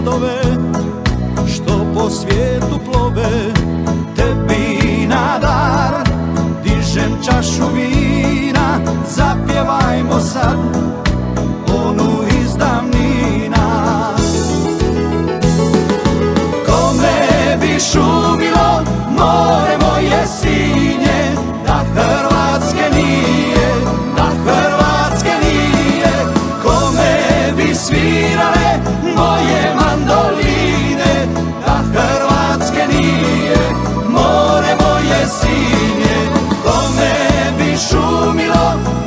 brodove što po svijetu plove. Tebi na dar dižem čašu vina, zapjevajmo sad onu iz davnina. Kome bi šumilo more moje sinje, da Hrvatske nije, da Hrvatske nije. Kome bi svirale moje mandoline, da Hrvatske nije, more moje sinje. Kome bi šumilo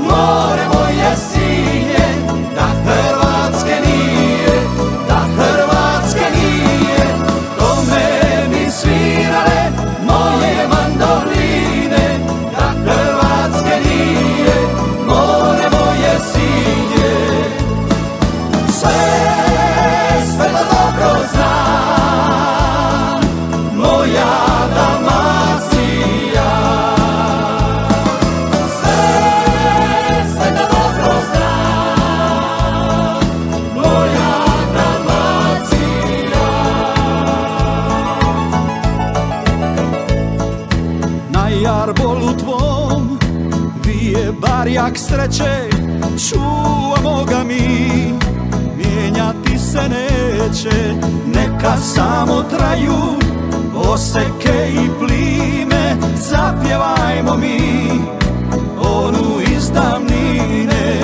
more moje sinje, da Hrvatske nije, da Hrvatske nije. Kome bi svirale moje mandoline, da Hrvatske nije, more moje sinje. Sve to dobro znam, moja Dalmacija. Sve to dobro znam, moja Dalmacija. Na jarbolu tvom vije barjak sreće, čuvamo ga mi, mijenjati se neće. Neka samo traju oseke i plime, zapjevajmo mi onu iz davnine.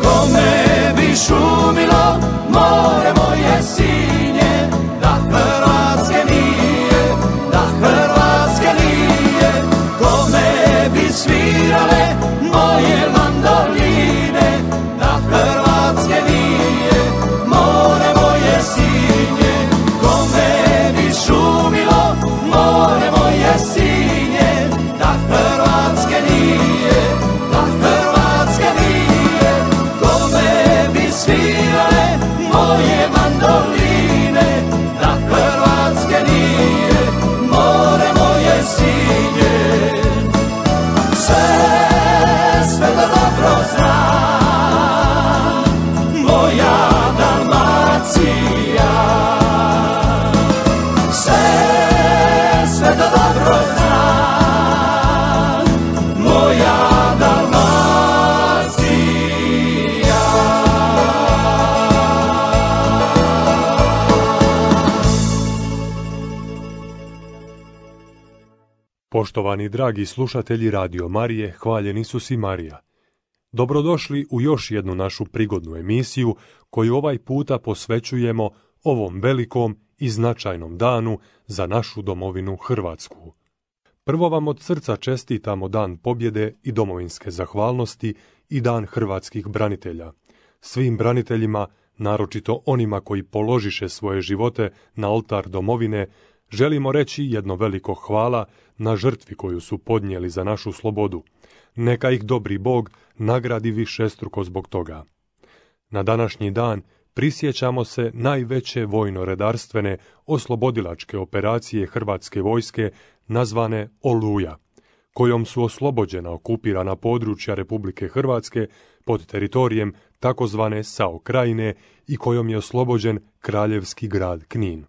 Kome bi šumilo more moje sinje, da Hrvatske nije, da Hrvatske nije. Kome bi svirale moje mandoline, da Hrvatske nije, more moje sinje. Kome bi šumilo more moje sinje, da Hrvatske nije, da Hrvatske nije. Kome bi svirale moje mandoline, da Hrvatske nije, more moje sinje. Sve to dobro znam, moja Dalmacija. Sve to dobro znam, moja Dalmacija. Poštovani dragi slušatelji Radio Marije, hvaljen Isus i Marija. Dobrodošli u još jednu našu prigodnu emisiju koju ovaj puta posvećujemo ovom velikom i značajnom danu za našu domovinu Hrvatsku. Prvo vam od srca čestitamo Dan pobjede i domovinske zahvalnosti i Dan hrvatskih branitelja. Svim braniteljima, naročito onima koji položiše svoje živote na oltar domovine, želimo reći jedno veliko hvala na žrtvi koju su podnijeli za našu slobodu. Neka ih dobri Bog nagradi višestruko zbog toga. Na današnji dan prisjećamo se najveće vojno-redarstvene oslobodilačke operacije Hrvatske vojske nazvane Oluja, kojom su oslobođena okupirana područja Republike Hrvatske pod teritorijem takozvane SAO Krajine i kojom je oslobođen kraljevski grad Knin.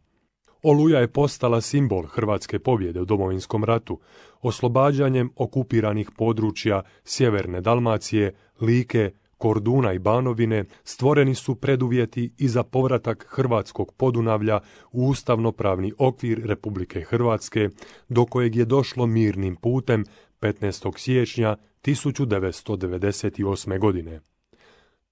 Oluja je postala simbol hrvatske pobjede u Domovinskom ratu, oslobađanjem okupiranih područja sjeverne Dalmacije, Like, Korduna i Banovine stvoreni su preduvjeti i za povratak hrvatskog Podunavlja u ustavnopravni okvir Republike Hrvatske, do kojeg je došlo mirnim putem 15. siječnja 1998. godine.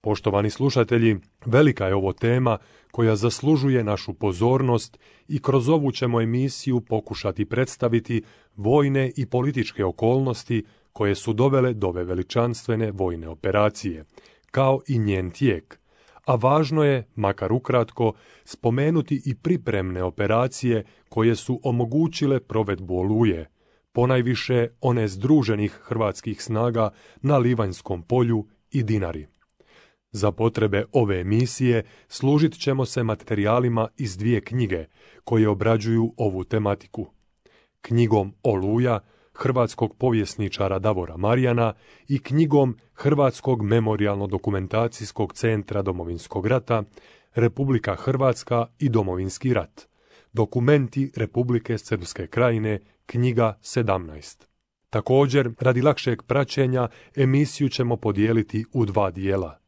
Poštovani slušatelji, velika je ovo tema koja zaslužuje našu pozornost i kroz ovu ćemo emisiju pokušati predstaviti vojne i političke okolnosti koje su dovele do ove veličanstvene vojne operacije, kao i njen tijek. A važno je, makar ukratko, spomenuti i pripremne operacije koje su omogućile provedbu Oluje, ponajviše one združenih hrvatskih snaga na Livanjskom polju i Dinari. Za potrebe ove emisije služit ćemo se materijalima iz 2 knjige koje obrađuju ovu tematiku. Knjigom Oluja, hrvatskog povjesničara Davora Marjana i knjigom Hrvatskog memorijalno-dokumentacijskog centra Domovinskog rata, Republika Hrvatska i Domovinski rat. Dokumenti Republike Srpske Krajine, knjiga 17. Također, radi lakšeg praćenja, emisiju ćemo podijeliti u 2 dijela.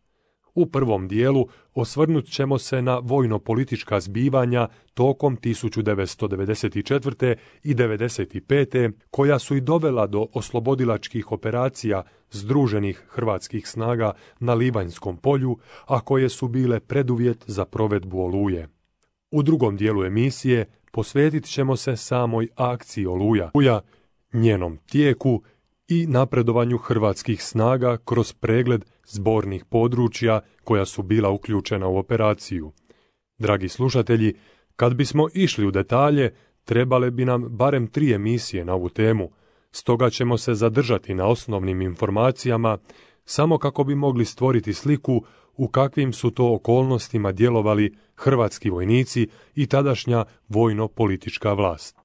U prvom dijelu osvrnut ćemo se na vojno-politička zbivanja tokom 1994. i 1995. koja su i dovela do oslobodilačkih operacija združenih hrvatskih snaga na Livanjskom polju, a koje su bile preduvjet za provedbu Oluje. U drugom dijelu emisije posvetit ćemo se samoj akciji Oluja, njenom tijeku i napredovanju hrvatskih snaga kroz pregled zbornih područja koja su bila uključena u operaciju. Dragi slušatelji, kad bismo išli u detalje, trebale bi nam barem 3 emisije na ovu temu, stoga ćemo se zadržati na osnovnim informacijama, samo kako bi mogli stvoriti sliku u kakvim su to okolnostima djelovali hrvatski vojnici i tadašnja vojno-politička vlast.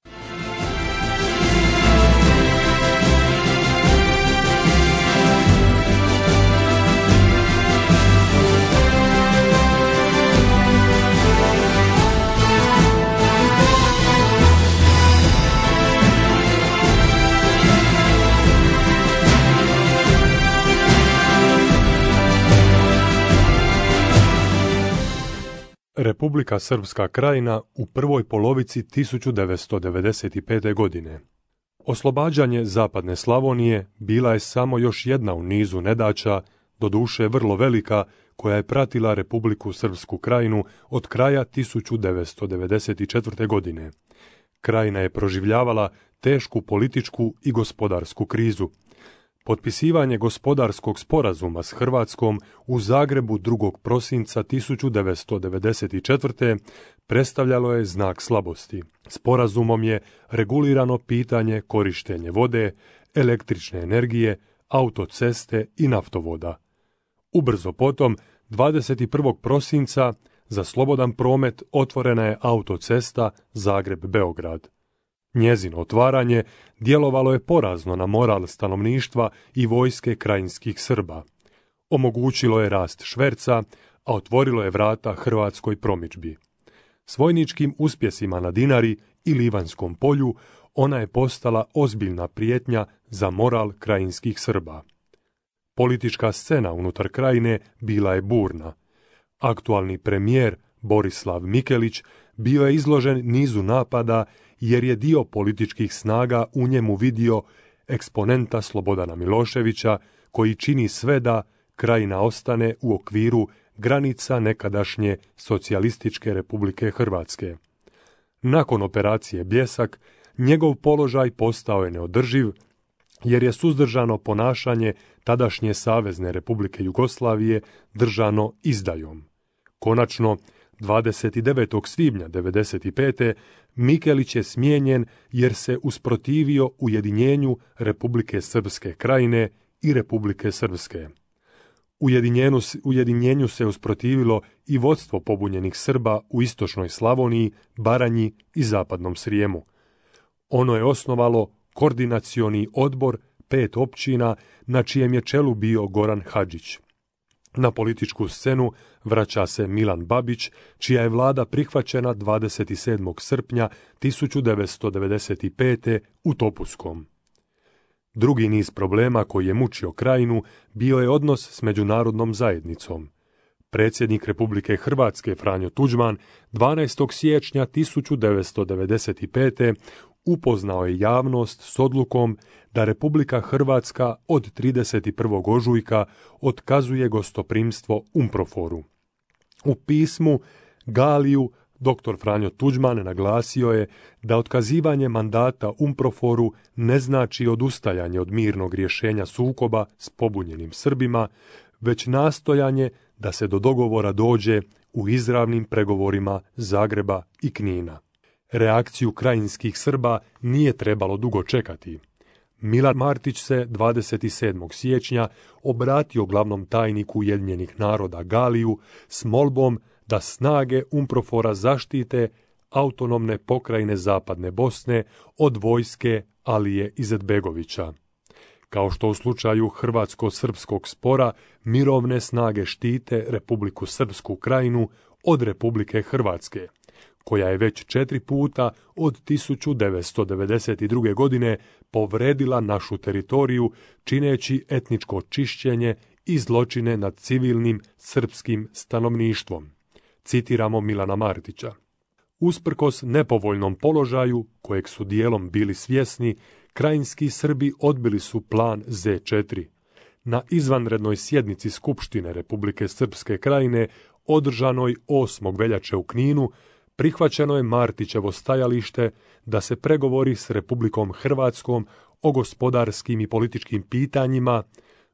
Republika Srpska Krajina u prvoj polovici 1995. godine. Oslobađanje zapadne Slavonije bila je samo još jedna u nizu nedaća, doduše vrlo velika, koja je pratila Republiku Srpsku Krajinu od kraja 1994. godine. Krajina je proživljavala tešku političku i gospodarsku krizu. Potpisivanje gospodarskog sporazuma s Hrvatskom u Zagrebu 2. prosinca 1994. predstavljalo je znak slabosti. Sporazumom je regulirano pitanje korištenje vode, električne energije, autoceste i naftovoda. Ubrzo potom, 21. prosinca, za slobodan promet otvorena je autocesta Zagreb-Beograd. Njezino otvaranje djelovalo je porazno na moral stanovništva i vojske krajinskih Srba. Omogućilo je rast šverca, a otvorilo je vrata hrvatskoj promidžbi. S vojničkim uspjesima na Dinari i Livanjskom polju ona je postala ozbiljna prijetnja za moral krajinskih Srba. Politička scena unutar krajine bila je burna. Aktualni premijer Borislav Mikelić bio je izložen nizu napada jer je dio političkih snaga u njemu vidio eksponenta Slobodana Miloševića koji čini sve da Krajina ostane u okviru granica nekadašnje Socijalističke Republike Hrvatske. Nakon operacije Bljesak, njegov položaj postao je neodrživ jer je suzdržano ponašanje tadašnje Savezne Republike Jugoslavije držano izdajom. Konačno, 29. svibnja 1995. Mikelić je smijenjen jer se usprotivio ujedinjenju Republike Srpske Krajine i Republike Srpske. Ujedinjenju se usprotivilo i vodstvo pobunjenih Srba u istočnoj Slavoniji, Baranji i zapadnom Srijemu. Ono je osnovalo koordinacioni odbor 5 općina na čijem je čelu bio Goran Hadžić. Na političku scenu vraća se Milan Babić, čija je vlada prihvaćena 27. srpnja 1995. u Topuskom. Drugi niz problema koji je mučio Krajinu bio je odnos s međunarodnom zajednicom. Predsjednik Republike Hrvatske Franjo Tuđman 12. siječnja 1995. upoznao je javnost s odlukom da Republika Hrvatska od 31. ožujka otkazuje gostoprimstvo UNPROFOR-u. U pismu Galiju dr. Franjo Tuđman naglasio je da otkazivanje mandata UNPROFOR-u ne znači odustajanje od mirnog rješenja sukoba s pobunjenim Srbima, već nastojanje da se do dogovora dođe u izravnim pregovorima Zagreba i Knina. Reakciju krajinskih Srba nije trebalo dugo čekati. Milan Martić se 27. siječnja obratio glavnom tajniku Ujedinjenih naroda Galiju s molbom da snage UNPROFOR-a zaštite autonomne pokrajine Zapadne Bosne od vojske Alije Izetbegovića. Kao što u slučaju hrvatsko-srpskog spora, mirovne snage štite Republiku Srpsku Krajinu od Republike Hrvatske, koja je već 4 puta od 1992. godine povredila našu teritoriju čineći etničko čišćenje i zločine nad civilnim srpskim stanovništvom. Citiramo Milana Martića. Usprkos nepovoljnom položaju, kojeg su dijelom bili svjesni, krajinski Srbi odbili su plan Z4. Na izvanrednoj sjednici Skupštine Republike Srpske Krajine, održanoj 8. veljače u Kninu, prihvaćeno je Martićevo stajalište da se pregovori s Republikom Hrvatskom o gospodarskim i političkim pitanjima,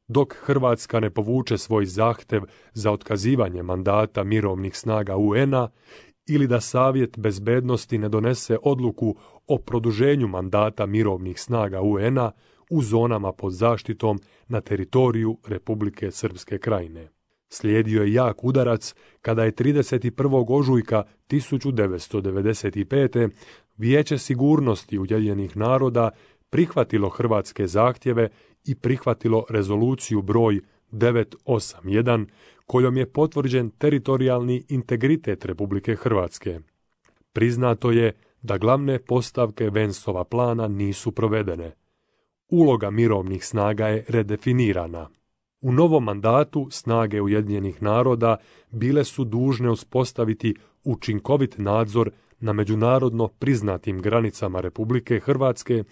dok Hrvatska ne povuče svoj zahtev za otkazivanje mandata mirovnih snaga UN-a ili da Savjet bezbednosti ne donese odluku o produženju mandata mirovnih snaga UN-a u zonama pod zaštitom na teritoriju Republike Srpske Krajine. Slijedio je jak udarac kada je 31. ožujka 1995. Vijeće sigurnosti Ujedinjenih naroda prihvatilo hrvatske zahtjeve i prihvatilo rezoluciju broj 981, kojom je potvrđen teritorijalni integritet Republike Hrvatske. Priznato je da glavne postavke Vensova plana nisu provedene. Uloga mirovnih snaga je redefinirana. U novom mandatu snage Ujedinjenih naroda bile su dužne uspostaviti učinkovit nadzor na međunarodno priznatim granicama Republike Hrvatske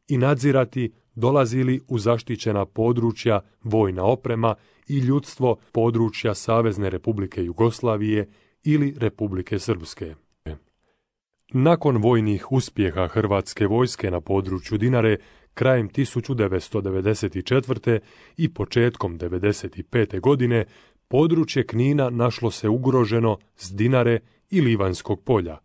i nadzirati dolazi li u zaštićena područja vojna oprema i ljudstvo područja Savezne Republike Jugoslavije ili Republike Srpske. Nakon vojnih uspjeha hrvatske vojske na području Dinare krajem 1994. i početkom 1995. godine područje Knina našlo se ugroženo s Dinare i Livanjskog polja,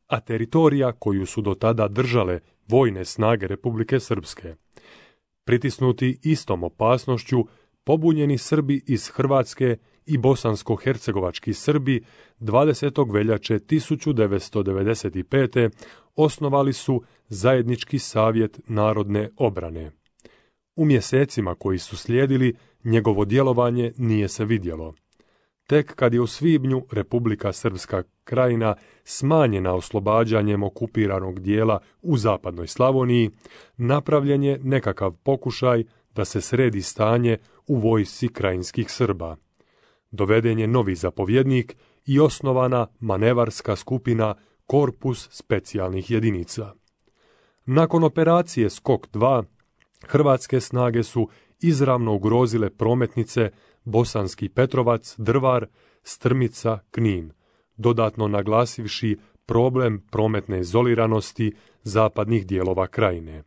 a teritorija koju su do tada držale vojne snage Republike Srpske. Pritisnuti istom opasnošću, pobunjeni Srbi iz Hrvatske i bosansko-hercegovački Srbi 20. veljače 1995. osnovali su Zajednički savjet narodne obrane. U mjesecima koji su slijedili, njegovo djelovanje nije se vidjelo. Tek kad je u svibnju Republika Srpska Krajina smanjena oslobađanjem okupiranog dijela u zapadnoj Slavoniji, napravljen je nekakav pokušaj da se sredi stanje u vojsci krajinskih Srba. Doveden je novi zapovjednik i osnovana manevarska skupina Korpus specijalnih jedinica. Nakon operacije Skok 2, hrvatske snage su izravno ugrozile prometnice Bosanski Petrovac, Drvar, Strmica, Knin, dodatno naglasivši problem prometne izoliranosti zapadnih dijelova krajine.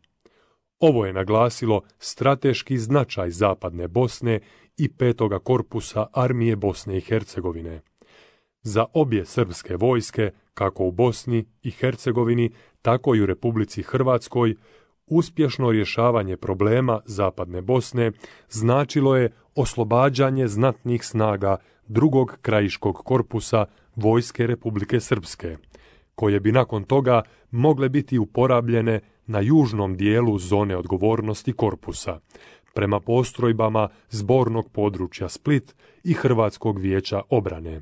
Ovo je naglasilo strateški značaj Zapadne Bosne i 5. korpusa armije Bosne i Hercegovine. Za obje srpske vojske, kako u Bosni i Hercegovini, tako i u Republici Hrvatskoj, uspješno rješavanje problema Zapadne Bosne značilo je oslobađanje znatnih snaga 2. krajiškog korpusa vojske Republike Srpske, koje bi nakon toga mogle biti uporabljene na južnom dijelu zone odgovornosti korpusa, prema postrojbama zbornog područja Split i Hrvatskog vijeća obrane.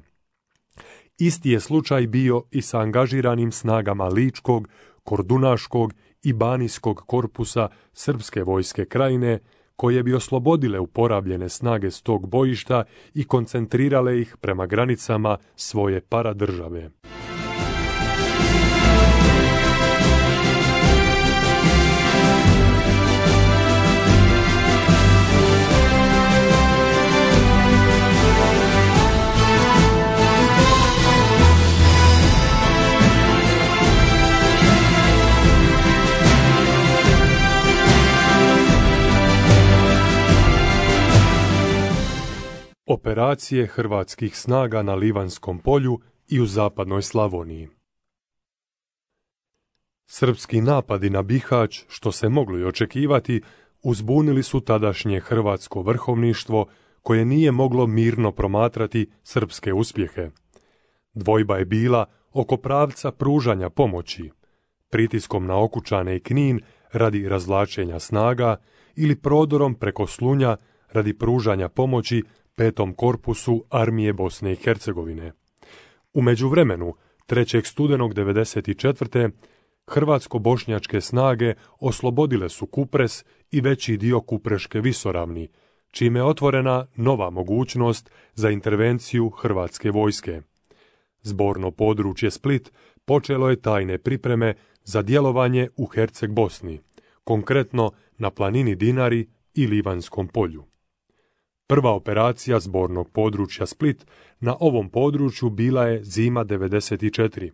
Isti je slučaj bio i sa angažiranim snagama Ličkog, Kordunaškog i Banijskog korpusa Srpske vojske Krajine, koje bi oslobodile uporabljene snage s tog bojišta i koncentrirale ih prema granicama svoje paradržave. Operacije hrvatskih snaga na Livanjskom polju i u zapadnoj Slavoniji. Srpski napadi na Bihać, što se moglo i očekivati, uzbunili su tadašnje hrvatsko vrhovništvo, koje nije moglo mirno promatrati srpske uspjehe. Dvojba je bila oko pravca pružanja pomoći, pritiskom na Okučane i Knin radi razvlačenja snaga ili prodorom preko Slunja radi pružanja pomoći 5. korpusu armije Bosne i Hercegovine. U međuvremenu, 3. studenog 1994. hrvatsko-bošnjačke snage oslobodile su Kupres i veći dio Kupreške visoravni, čime je otvorena nova mogućnost za intervenciju hrvatske vojske. Zborno područje Split počelo je tajne pripreme za djelovanje u Herceg Bosni, konkretno na planini Dinari i Livanjskom polju. Prva operacija zbornog područja Split na ovom području bila je zima 94.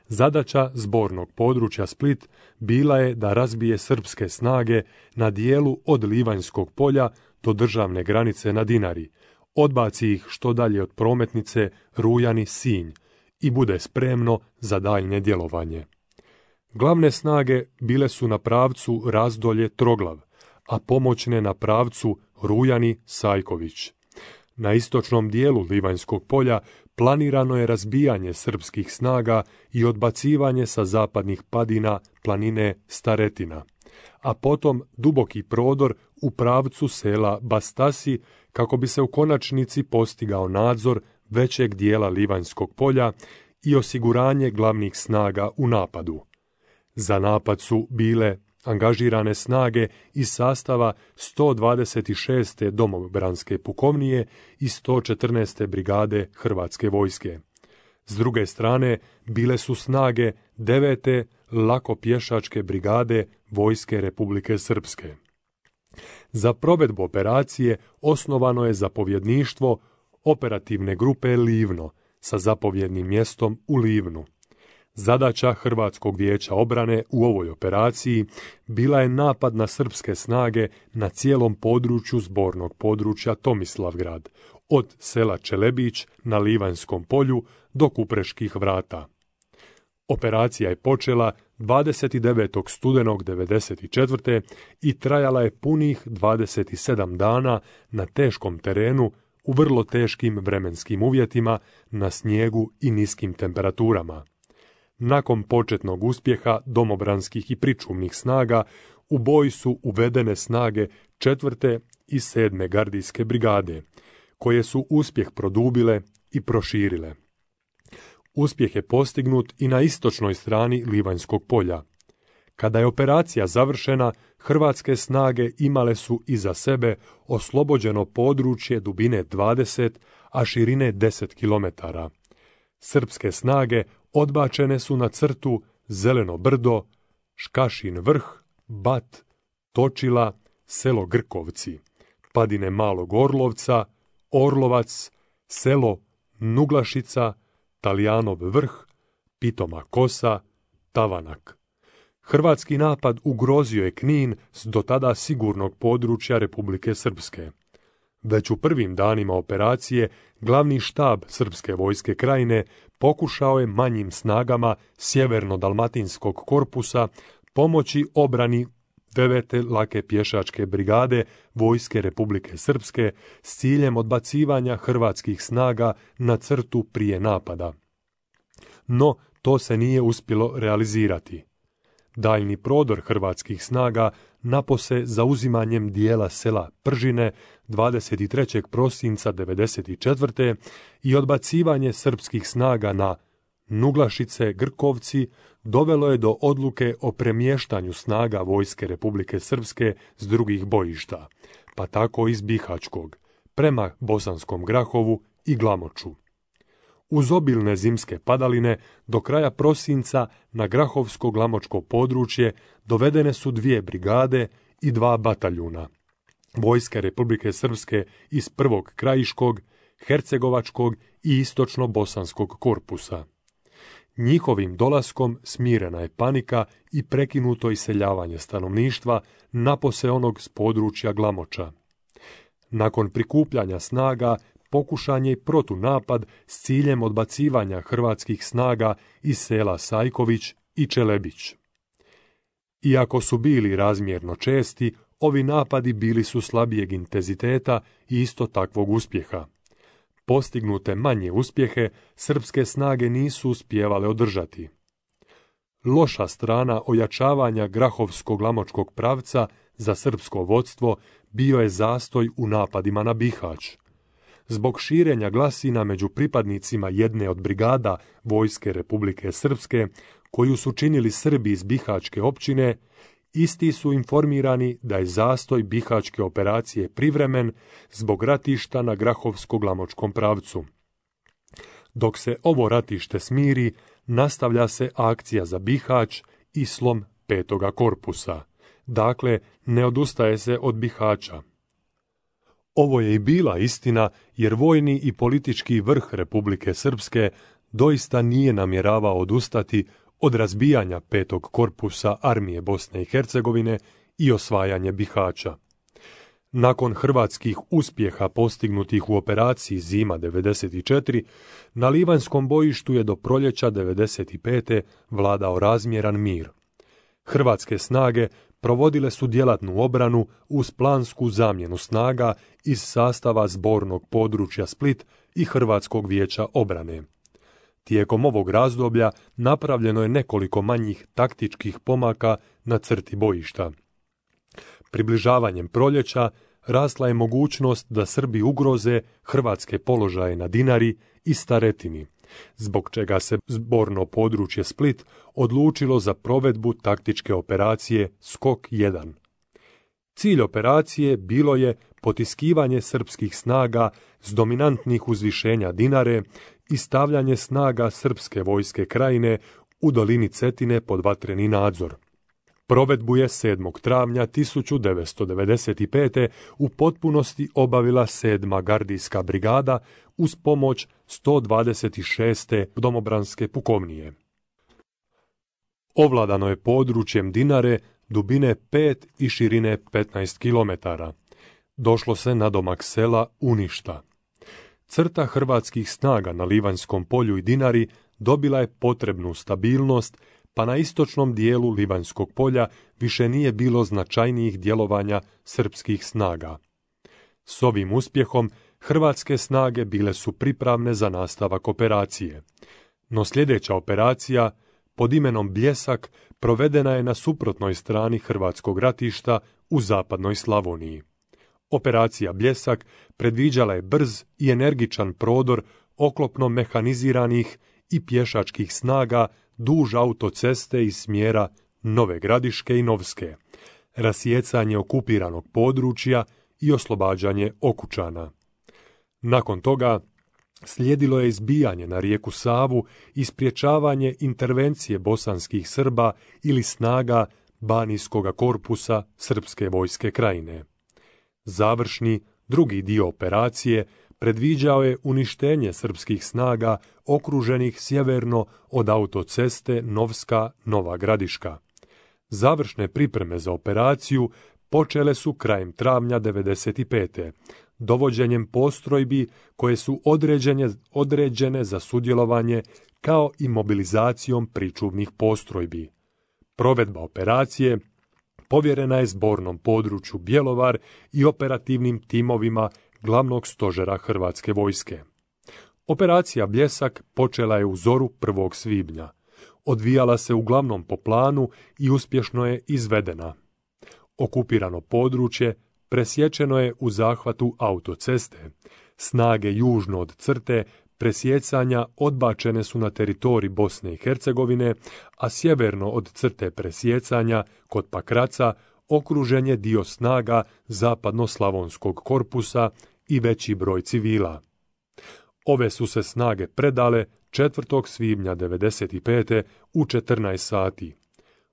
Zadaća zbornog područja Split bila je da razbije srpske snage na dijelu od Livanjskog polja do državne granice na Dinari, odbaci ih što dalje od prometnice Rujani-Sinj i bude spremno za daljnje djelovanje. Glavne snage bile su na pravcu Razdolje-Troglav, a pomoćne na pravcu Rujani-Sajković. Na istočnom dijelu Livanjskog polja planirano je razbijanje srpskih snaga i odbacivanje sa zapadnih padina planine Staretina, a potom duboki prodor u pravcu sela Bastasi kako bi se u konačnici postigao nadzor većeg dijela Livanjskog polja i osiguranje glavnih snaga u napadu. Za napad su bile angažirane snage iz sastava 126. domobranske pukovnije i 114. brigade Hrvatske vojske. S druge strane bile su snage 9. lako pješačke brigade Vojske Republike Srpske. Za provedbu operacije osnovano je zapovjedništvo operativne grupe Livno sa zapovjednim mjestom u Livnu. Zadaća Hrvatskog vijeća obrane u ovoj operaciji bila je napad na srpske snage na cijelom području zbornog područja Tomislavgrad, od sela Čelebić na Livanjskom polju do Kupreških vrata. Operacija je počela 29. studenog 1994. i trajala je punih 27 dana na teškom terenu u vrlo teškim vremenskim uvjetima, na snijegu i niskim temperaturama. Nakon početnog uspjeha domobranskih i pričuvnih snaga, u boj su uvedene snage 4. i 7. gardijske brigade, koje su uspjeh produbile i proširile. Uspjeh je postignut i na istočnoj strani Livanjskog polja. Kada je operacija završena, hrvatske snage imale su iza sebe oslobođeno područje dubine 20, a širine 10 km. Srpske snage odbačene su na crtu Zeleno brdo, Škašin vrh, Bat, Točila, selo Grkovci, padine Malog Orlovca, Orlovac, selo Nuglašica, Talijanov vrh, Pitoma Kosa, Tavanak. Hrvatski napad ugrozio je Knin s do tada sigurnog područja Republike Srpske. Već u prvim danima operacije glavni štab Srpske vojske krajine pokušao je manjim snagama sjeverno-dalmatinskog korpusa pomoći obrani 9. lake pješačke brigade Vojske Republike Srpske s ciljem odbacivanja hrvatskih snaga na crtu prije napada. No, to se nije uspjelo realizirati. Daljni prodor hrvatskih snaga napose zauzimanjem dijela sela Pržine 23. prosinca 1994. i odbacivanje srpskih snaga na Nuglašice, Grkovci dovelo je do odluke o premještanju snaga Vojske Republike Srpske s drugih bojišta, pa tako iz Bihaćkog, prema Bosanskom Grahovu i Glamoču. Uz obilne zimske padaline, do kraja prosinca na Grahovsko-Glamočko područje dovedene su 2 brigade i 2 bataljuna Vojske Republike Srpske iz 1. Krajiškog, Hercegovačkog i istočno-bosanskog korpusa. Njihovim dolaskom smirena je panika i prekinuto iseljavanje stanovništva napose onog s područja Glamoča. Nakon prikupljanja snaga pokušan je i protunapad s ciljem odbacivanja hrvatskih snaga iz sela Sajković i Čelebić. Iako su bili razmjerno česti, ovi napadi bili su slabijeg intenziteta i isto takvog uspjeha. Postignute manje uspjehe srpske snage nisu uspijevale održati. Loša strana ojačavanja Grahovsko-Glamočkog pravca za srpsko vodstvo bio je zastoj u napadima na Bihać. Zbog širenja glasina među pripadnicima jedne od brigada Vojske Republike Srpske, koju su činili Srbi iz Bihaćke općine, isti su informirani da je zastoj Bihaćke operacije privremen zbog ratišta na Grahovsko-Glamočkom pravcu. Dok se ovo ratište smiri, nastavlja se akcija za Bihać i slom 5. korpusa. Dakle, ne odustaje se od Bihaća. Ovo je i bila istina, jer vojni i politički vrh Republike Srpske doista nije namjeravao odustati od razbijanja 5. korpusa armije Bosne i Hercegovine i osvajanje Bihaća. Nakon hrvatskih uspjeha postignutih u operaciji Zima 94, na Livanjskom bojištu je do proljeća 95. vladao razmjeran mir. Hrvatske snage provodile su djelatnu obranu uz plansku zamjenu snaga iz sastava zbornog područja Split i Hrvatskog vijeća obrane. Tijekom ovog razdoblja napravljeno je nekoliko manjih taktičkih pomaka na crti bojišta. Približavanjem proljeća rasla je mogućnost da Srbi ugroze hrvatske položaje na Dinari i Staretini, zbog čega se zborno područje Split odlučilo za provedbu taktičke operacije Skok 1. Cilj operacije bilo je potiskivanje srpskih snaga s dominantnih uzvišenja Dinare i stavljanje snaga srpske vojske krajine u dolini Cetine pod vatreni nadzor. Provedbu je 7. travnja 1995. u potpunosti obavila 7. gardijska brigada uz pomoć 126. domobranske pukovnije. Ovladano je područjem Dinare dubine 5 i širine 15 km. Došlo se na domak sela Uništa. Crta hrvatskih snaga na Livanjskom polju i Dinari dobila je potrebnu stabilnost, pa na istočnom dijelu Livanjskog polja više nije bilo značajnijih djelovanja srpskih snaga. S ovim uspjehom hrvatske snage bile su pripravne za nastavak operacije. No sljedeća operacija, pod imenom Bljesak, provedena je na suprotnoj strani hrvatskog ratišta u zapadnoj Slavoniji. Operacija Bljesak predviđala je brz i energičan prodor oklopno mehaniziranih i pješačkih snaga duž autoceste iz smjera Nove Gradiške i Novske, rasjecanje okupiranog područja i oslobađanje Okučana. Nakon toga slijedilo je izbijanje na rijeku Savu i sprječavanje intervencije bosanskih Srba ili snaga Banijskoga korpusa Srpske vojske krajine. Završni, drugi dio operacije predviđao je uništenje srpskih snaga okruženih sjeverno od autoceste Novska-Nova Gradiška. Završne pripreme za operaciju počele su krajem travnja 95. dovođenjem postrojbi koje su određene za sudjelovanje kao i mobilizacijom pričuvnih postrojbi. Provedba operacije povjerena je zbornom području Bjelovar i operativnim timovima glavnog stožera Hrvatske vojske. Operacija Bljesak počela je u zoru 1. svibnja. Odvijala se uglavnom po planu i uspješno je izvedena. Okupirano područje presječeno je u zahvatu autoceste. Snage južno od crte presjecanja odbačene su na teritorij Bosne i Hercegovine, a sjeverno od crte presjecanja, kod Pakraca, okružen je dio snaga zapadno-slavonskog korpusa i veći broj civila. Ove su se snage predale 4. svibnja 95. u 14 sati.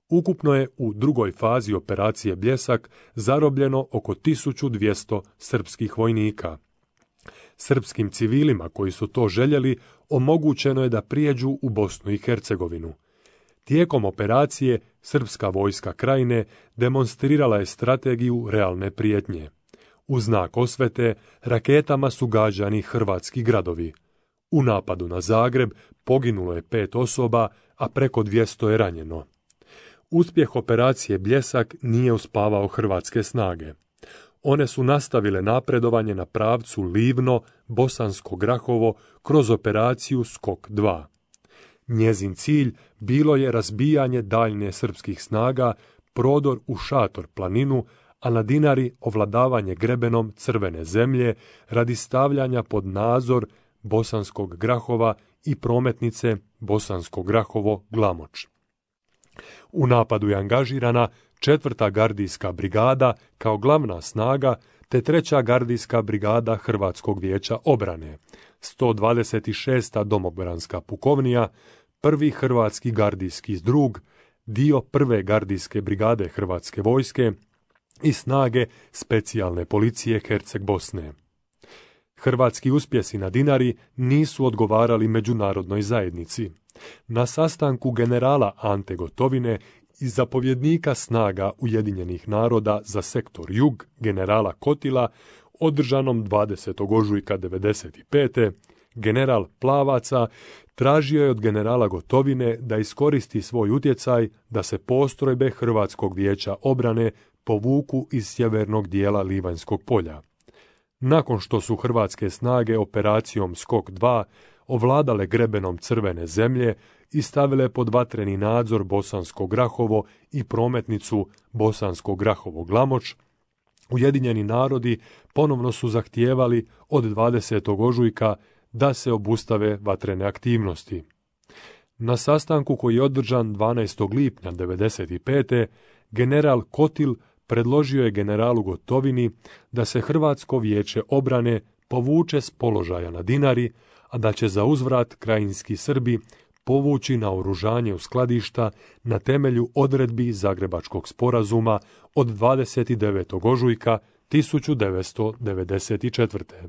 Ukupno je u drugoj fazi operacije Bljesak zarobljeno oko 1200 srpskih vojnika. Srpskim civilima koji su to željeli omogućeno je da prijeđu u Bosnu i Hercegovinu. Tijekom operacije srpska vojska krajine demonstrirala je strategiju realne prijetnje. U znak osvete raketama su gađani hrvatski gradovi. U napadu na Zagreb poginulo je 5 osoba, a preko 200 je ranjeno. Uspjeh operacije Bljesak nije uspavao hrvatske snage. one su nastavile napredovanje na pravcu Livno-Bosansko Grahovo kroz operaciju Skok 2. Njezin cilj bilo je razbijanje daljnje srpskih snaga, prodor u Šator planinu, a na Dinari ovladavanje grebenom Crvene zemlje radi stavljanja pod nadzor Bosanskog Grahova i prometnice Bosansko Grahovo-Glamoč. U napadu je angažirana 4. gardijska brigada kao glavna snaga te 3. gardijska brigada Hrvatskog vijeća obrane, 126. domobranska pukovnija, 1. hrvatski gardijski zdrug, dio 1. gardijske brigade Hrvatske vojske i snage specijalne policije Herceg Bosne. Hrvatski uspjesi na Dinari nisu odgovarali međunarodnoj zajednici. Na sastanku generala Ante Gotovine i zapovjednika snaga Ujedinjenih naroda za sektor Jug, generala Kotila, održanom 20. ožujka 1995. general Plavaca tražio je od generala Gotovine da iskoristi svoj utjecaj da se postrojbe Hrvatskog vijeća obrane povuku iz sjevernog dijela Livanjskog polja. Nakon što su hrvatske snage operacijom Skok 2 ovladale grebenom Crvene zemlje i stavile pod vatreni nadzor Bosansko Grahovo i prometnicu Bosansko Grahovo-Glamoč, Ujedinjeni narodi ponovno su zahtijevali od 20. ožujka da se obustave vatrene aktivnosti. Na sastanku koji je održan 12. lipnja 1995. general Kotil predložio je generalu Gotovini da se Hrvatsko vijeće obrane povuče s položaja na Dinari, a da će za uzvrat krajinski Srbi povući naoružanje u skladišta na temelju odredbi Zagrebačkog sporazuma od 29. ožujka 1994.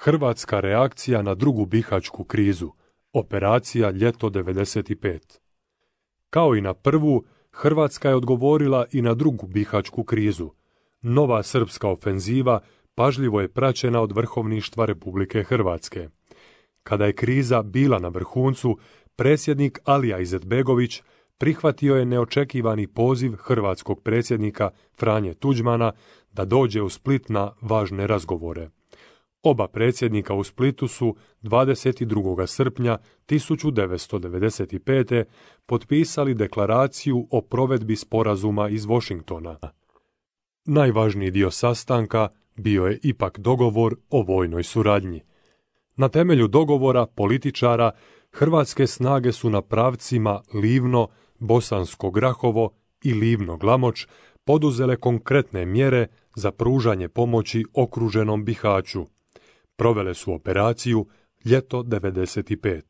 Hrvatska reakcija na drugu bihaćku krizu, operacija Ljeto 95. Kao i na prvu, Hrvatska je odgovorila i na drugu bihaćku krizu. Nova srpska ofenziva pažljivo je praćena od vrhovništva Republike Hrvatske. Kada je kriza bila na vrhuncu, predsjednik Alija Izetbegović prihvatio je neočekivani poziv hrvatskog predsjednika Franje Tuđmana da dođe u Split na važne razgovore. Oba predsjednika u Splitu su 22. srpnja 1995. potpisali deklaraciju o provedbi sporazuma iz Washingtona. Najvažniji dio sastanka bio je ipak dogovor o vojnoj suradnji. Na temelju dogovora političara hrvatske snage su na pravcima Livno, Bosansko Grahovo i Livno-Glamoč poduzele konkretne mjere za pružanje pomoći okruženom Bihaću. Provele su operaciju Ljeto 95.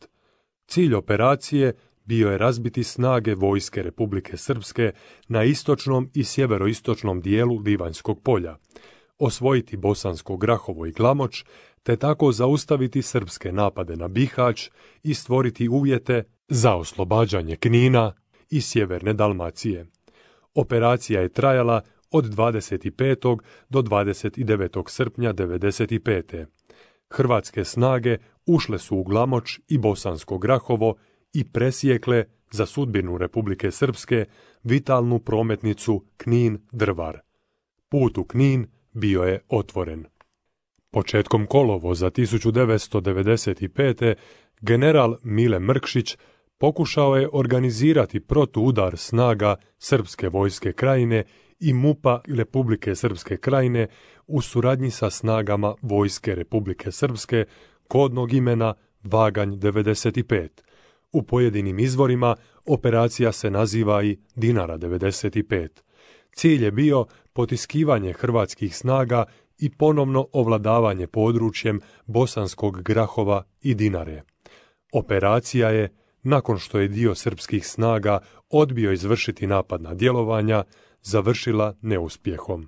Cilj operacije bio je razbiti snage vojske Republike Srpske na istočnom i sjeveroistočnom dijelu Livanjskog polja, osvojiti Bosansko Grahovo i Glamoč, te tako zaustaviti srpske napade na Bihać i stvoriti uvjete za oslobađanje Knina i sjeverne Dalmacije. Operacija je trajala od 25. do 29. srpnja 1995. Hrvatske snage ušle su u Glamoč i Bosansko Grahovo i presjekle za sudbinu Republike Srpske vitalnu prometnicu Knin-Drvar. Put u Knin bio je otvoren. Početkom kolovoza 1995. general Mile Mrkšić pokušao je organizirati protuudar snaga Srpske vojske Krajine i MUP-a Republike Srpske Krajine u suradnji sa snagama vojske Republike Srpske kodnog imena Vaganj 95. U pojedinim izvorima operacija se naziva i Dinara 95. Cilj je bio potiskivanje hrvatskih snaga i ponovno ovladavanje područjem Bosanskog Grahova i Dinare. Operacija je, nakon što je dio srpskih snaga odbio izvršiti napadna djelovanja, završila neuspjehom.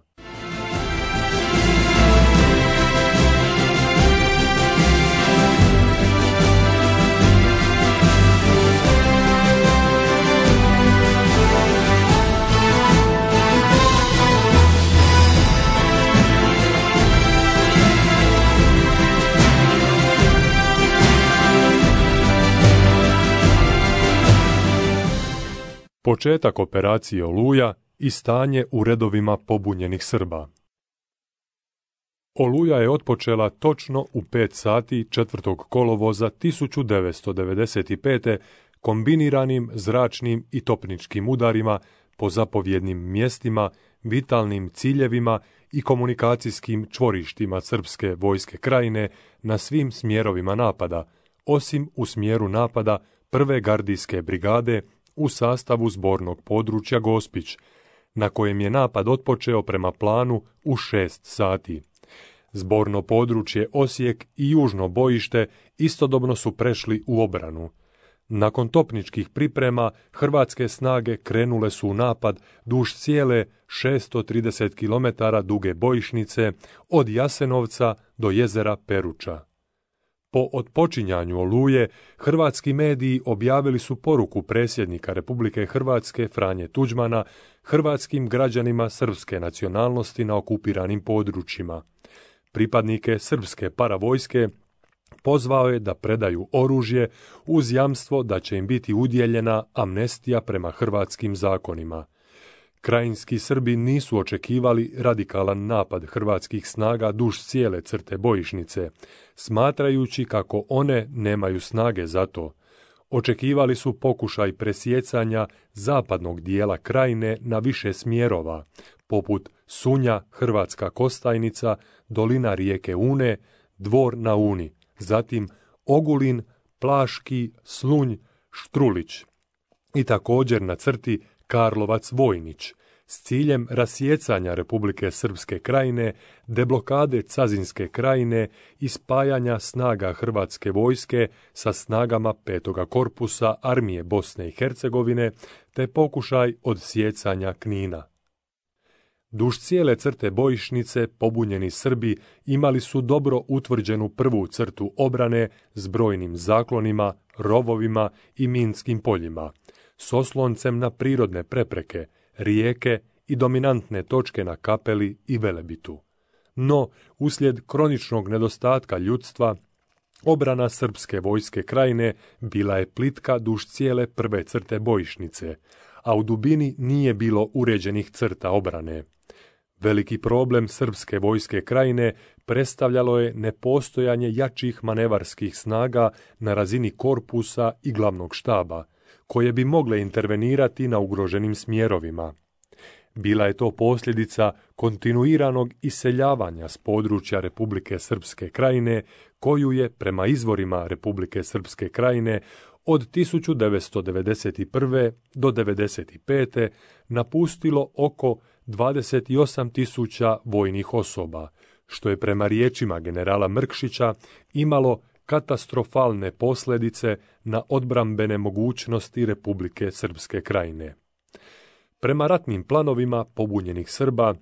početak operacije Oluja i stanje u redovima pobunjenih Srba. Oluja je otpočela točno u 5 sati 4. kolovoza 1995. kombiniranim zračnim i topničkim udarima po zapovjednim mjestima, vitalnim ciljevima i komunikacijskim čvorištima Srpske vojske Krajine na svim smjerovima napada, osim u smjeru napada 1. gardijske brigade u sastavu zbornog područja Gospić, na kojem je napad otpočeo prema planu u 6 sati. Zborno područje Osijek i južno bojište istodobno su prešli u obranu. Nakon topničkih priprema, hrvatske snage krenule su u napad duž cijele 630 km duge bojišnice od Jasenovca do jezera Peruča. Po otpočinjanju Oluje, hrvatski mediji objavili su poruku predsjednika Republike Hrvatske Franje Tuđmana hrvatskim građanima srpske nacionalnosti na okupiranim područjima. Pripadnike srpske paravojske pozvao je da predaju oružje uz jamstvo da će im biti udjeljena amnestija prema hrvatskim zakonima. Krajinski Srbi nisu očekivali radikalan napad hrvatskih snaga duž cijele crte bojišnice, smatrajući kako one nemaju snage za to. Očekivali su pokušaj presjecanja zapadnog dijela Krajine na više smjerova, poput Sunja, Hrvatska Kostajnica, dolina rijeke Une, Dvor na Uni, zatim Ogulin, Plaški, Slunj, Štrulić i također na crti Karlovac-Vojnić, s ciljem rasjecanja Republike Srpske Krajine, deblokade Cazinske Krajine i spajanja snaga hrvatske vojske sa snagama 5. korpusa armije Bosne i Hercegovine, te pokušaj odsjecanja Knina. Duž cijele crte bojišnice pobunjeni Srbi imali su dobro utvrđenu prvu crtu obrane s brojnim zaklonima, rovovima i minskim poljima, s osloncem na prirodne prepreke, rijeke i dominantne točke na Kapeli i Velebitu. No, uslijed kroničnog nedostatka ljudstva, obrana Srpske vojske Krajine bila je plitka duž cijele prve crte bojišnice, a u dubini nije bilo uređenih crta obrane. Veliki problem Srpske vojske Krajine predstavljalo je nepostojanje jačih manevarskih snaga na razini korpusa i glavnog štaba, koje bi mogle intervenirati na ugroženim smjerovima. Bila je to posljedica kontinuiranog iseljavanja s područja Republike Srpske Krajine, koju je, prema izvorima Republike Srpske Krajine, od 1991. do 1995. napustilo oko 28.000 vojnih osoba, što je prema riječima generala Mrkšića imalo katastrofalne posljedice na odbrambene mogućnosti Republike Srpske Krajine. Prema ratnim planovima pobunjenih Srba,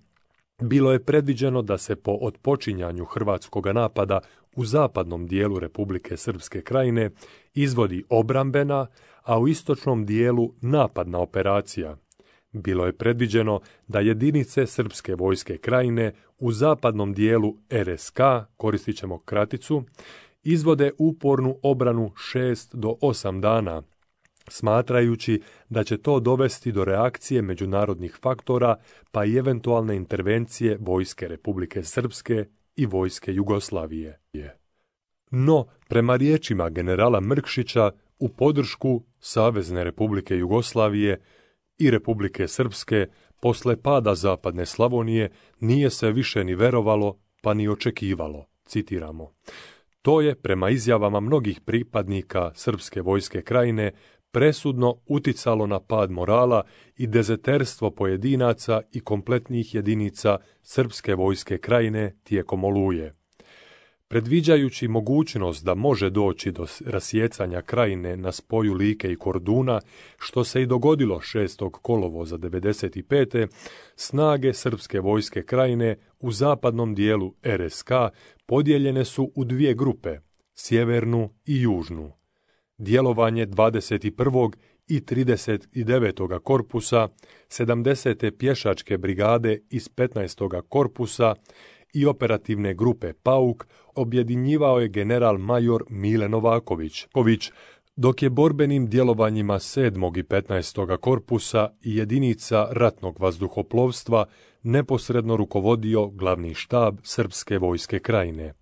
bilo je predviđeno da se po otpočinjanju hrvatskog napada u zapadnom dijelu Republike Srpske Krajine izvodi obrambena, a u istočnom dijelu napadna operacija. Bilo je predviđeno da jedinice Srpske vojske Krajine u zapadnom dijelu RSK, koristit ćemo kraticu, izvode upornu obranu 6 do 8 dana, smatrajući da će to dovesti do reakcije međunarodnih faktora pa i eventualne intervencije vojske Republike Srpske i vojske Jugoslavije. No, prema riječima generala Mrkšića, u podršku Savezne Republike Jugoslavije i Republike Srpske posle pada Zapadne Slavonije nije se više ni verovalo pa ni očekivalo, citiramo. To je, prema izjavama mnogih pripadnika Srpske vojske Krajine, presudno uticalo na pad morala i dezerterstvo pojedinaca i kompletnih jedinica Srpske vojske Krajine tijekom Oluje. Predviđajući mogućnost da može doći do rasjecanja Krajine na spoju Like i Korduna, što se i dogodilo 6. kolovoza 1995. snage Srpske vojske Krajine u zapadnom dijelu RSK podijeljene su u dvije grupe, sjevernu i južnu. Djelovanje 21. i 39. korpusa, 70. pješačke brigade iz 15. korpusa i operativne grupe Pauk objedinjivao je general major Mile Novaković, dok je borbenim djelovanjima 7. i 15. korpusa i jedinica ratnog vazduhoplovstva neposredno rukovodio glavni štab Srpske vojske krajine.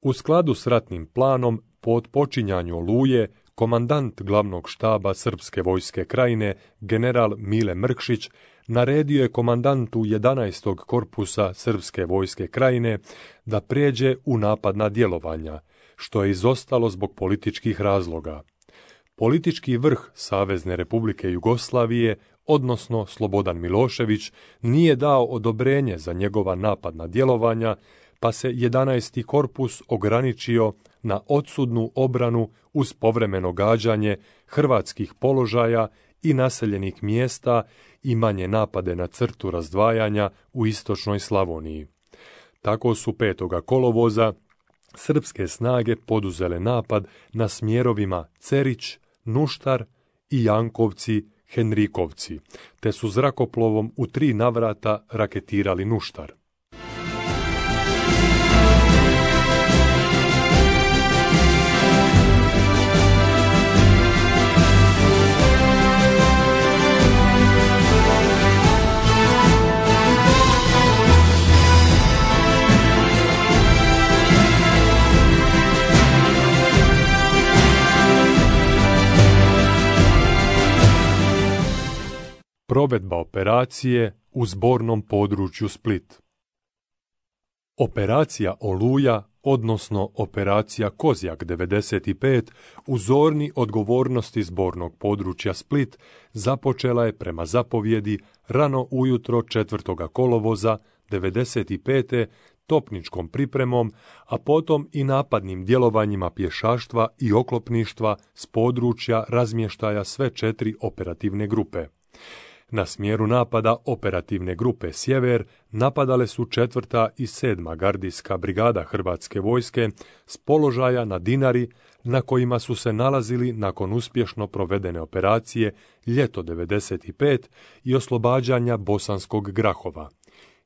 U skladu s ratnim planom, po otpočinjanju Oluje, komandant glavnog štaba Srpske vojske krajine, general Mile Mrkšić, naredio je komandantu 11. korpusa Srpske vojske krajine da prijeđe u napadna djelovanja, što je izostalo zbog političkih razloga. Politički vrh Savezne Republike Jugoslavije, odnosno Slobodan Milošević, nije dao odobrenje za njegova napadna djelovanja, pa se 11. korpus ograničio na odsudnu obranu uz povremeno gađanje hrvatskih položaja i naseljenih mjesta i manje napade na crtu razdvajanja u istočnoj Slavoniji. Tako su 5. kolovoza srpske snage poduzele napad na smjerovima Cerić, Nuštar i Jankovci, Henrikovci, te su zrakoplovom u 3 navrata raketirali Nuštar. Provedba operacije u zbornom području Split. Operacija Oluja, odnosno operacija Kozjak 95, u zoni odgovornosti zbornog područja Split, započela je prema zapovjedi rano ujutro 4. kolovoza 95. topničkom pripremom, a potom i napadnim djelovanjima pješaštva i oklopništva s područja razmještaja sve 4 operativne grupe. Na smjeru napada operativne grupe Sjever napadale su 4. i 7. gardijska brigada Hrvatske vojske s položaja na Dinari, na kojima su se nalazili nakon uspješno provedene operacije Ljeto 95 i oslobađanja Bosanskog Grahova.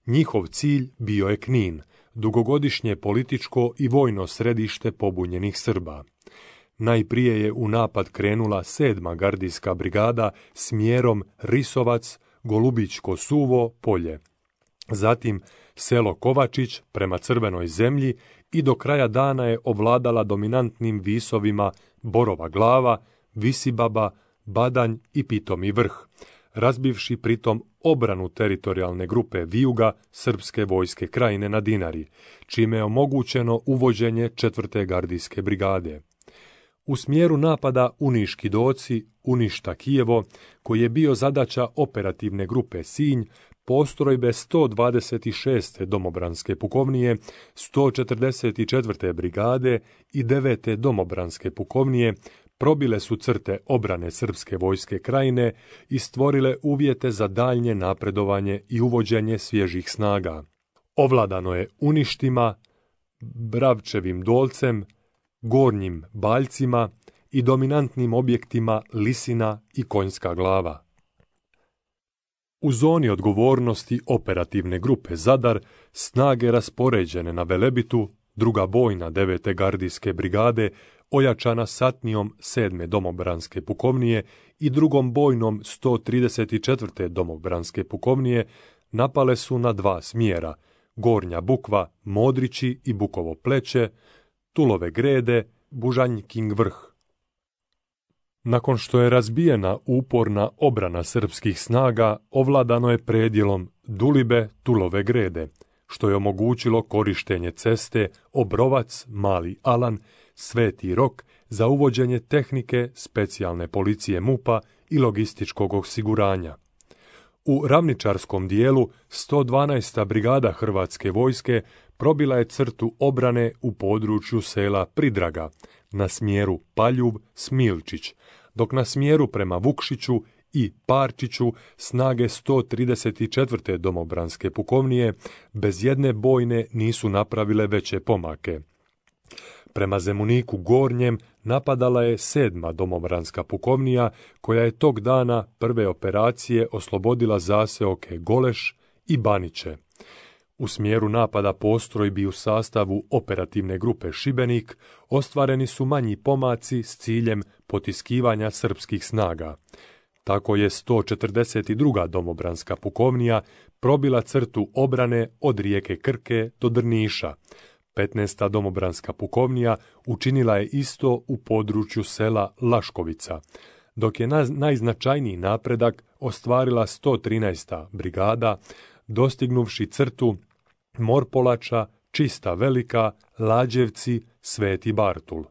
Njihov cilj bio je Knin, dugogodišnje političko i vojno središte pobunjenih Srba. Najprije je u napad krenula 7. gardijska brigada smjerom Risovac, Golubićko Suvo, Polje. Zatim selo Kovačić prema Crvenoj zemlji i do kraja dana je ovladala dominantnim visovima Borova Glava, Visibaba, Badanj i Pitomi Vrh, razbivši pritom obranu teritorijalne grupe Vijuga Srpske vojske krajine na Dinari, čime je omogućeno uvođenje 4. gardijske brigade. U smjeru napada Uniški Doci, Uništa Kijevo, koji je bio zadaća operativne grupe Sinj, postrojbe 126. domobranske pukovnije, 144. brigade i 9. domobranske pukovnije probile su crte obrane Srpske vojske krajine i stvorile uvjete za daljnje napredovanje i uvođenje svježih snaga. Ovladano je Uništima, Bravčevim Dolcem, Gornjim Baljcima i dominantnim objektima Lisina i Konjska Glava. U zoni odgovornosti operativne grupe Zadar snage raspoređene na Velebitu, 2. bojna 9. gardijske brigade, ojačana satnijom 7. domobranske pukovnije i 2. bojnom 134. domobranske pukovnije, napale su na 2 smjera, Gornja Bukva, Modrići i Bukovo Pleće, Tulove Grede, Bužanjkin Vrh. Nakon što je razbijena uporna obrana srpskih snaga, ovladano je predjelom Dulibe, Tulove Grede, što je omogućilo korištenje ceste Obrovac, Mali Alan, Sveti Rok za uvođenje tehnike, specijalne policije MUP-a i logističkog osiguranja. U ravničarskom dijelu 112. brigada Hrvatske vojske probila je crtu obrane u području sela Pridraga, na smjeru Paljub, Smilčić, dok na smjeru prema Vukšiću i Parčiću snage 134. domobranske pukovnije bez jedne bojne nisu napravile veće pomake. Prema Zemuniku Gornjem napadala je 7. domobranska pukovnija, koja je tog dana prve operacije oslobodila zaseoke Goleš i Baniće. U smjeru napada postrojbi u sastavu operativne grupe Šibenik ostvareni su manji pomaci s ciljem potiskivanja srpskih snaga. Tako je 142. domobranska pukovnija probila crtu obrane od rijeke Krke do Drniša. 15. domobranska pukovnija učinila je isto u području sela Laškovica, dok je najznačajniji napredak ostvarila 113. brigada, dostignuvši crtu Morpolača, Čista Velika, Lađevci, Sveti Bartul.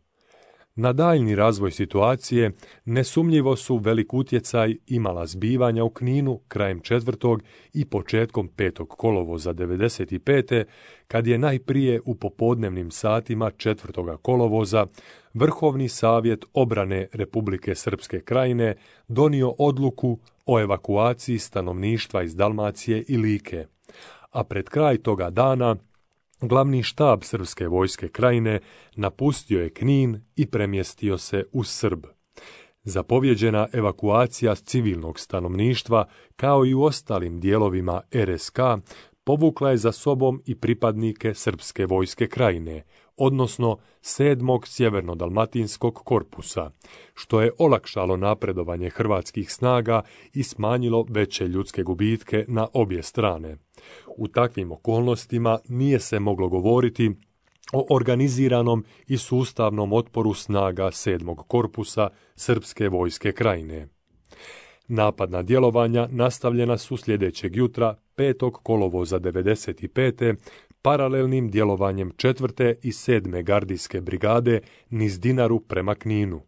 Na daljni razvoj situacije nesumnjivo su velik utjecaj imala zbivanja u Kninu krajem 4. i početkom 5. kolovoza 95. kad je najprije u popodnevnim satima 4. kolovoza Vrhovni savjet obrane Republike Srpske Krajine donio odluku o evakuaciji stanovništva iz Dalmacije i Like, a pred kraj toga dana glavni štab Srpske vojske Krajine napustio je Knin i premjestio se u Srb. Zapovjeđena evakuacija civilnog stanovništva, kao i u ostalim dijelovima RSK, povukla je za sobom i pripadnike Srpske vojske Krajine, odnosno 7. sjevernodalmatinskog korpusa, što je olakšalo napredovanje hrvatskih snaga i smanjilo veće ljudske gubitke na obje strane. U takvim okolnostima nije se moglo govoriti o organiziranom i sustavnom otporu snaga 7. korpusa Srpske vojske Krajine. Napadna djelovanja nastavljena su sljedećeg jutra 5. kolovoza 95. paralelnim djelovanjem 4. i 7. gardijske brigade niz Dinaru prema Kninu.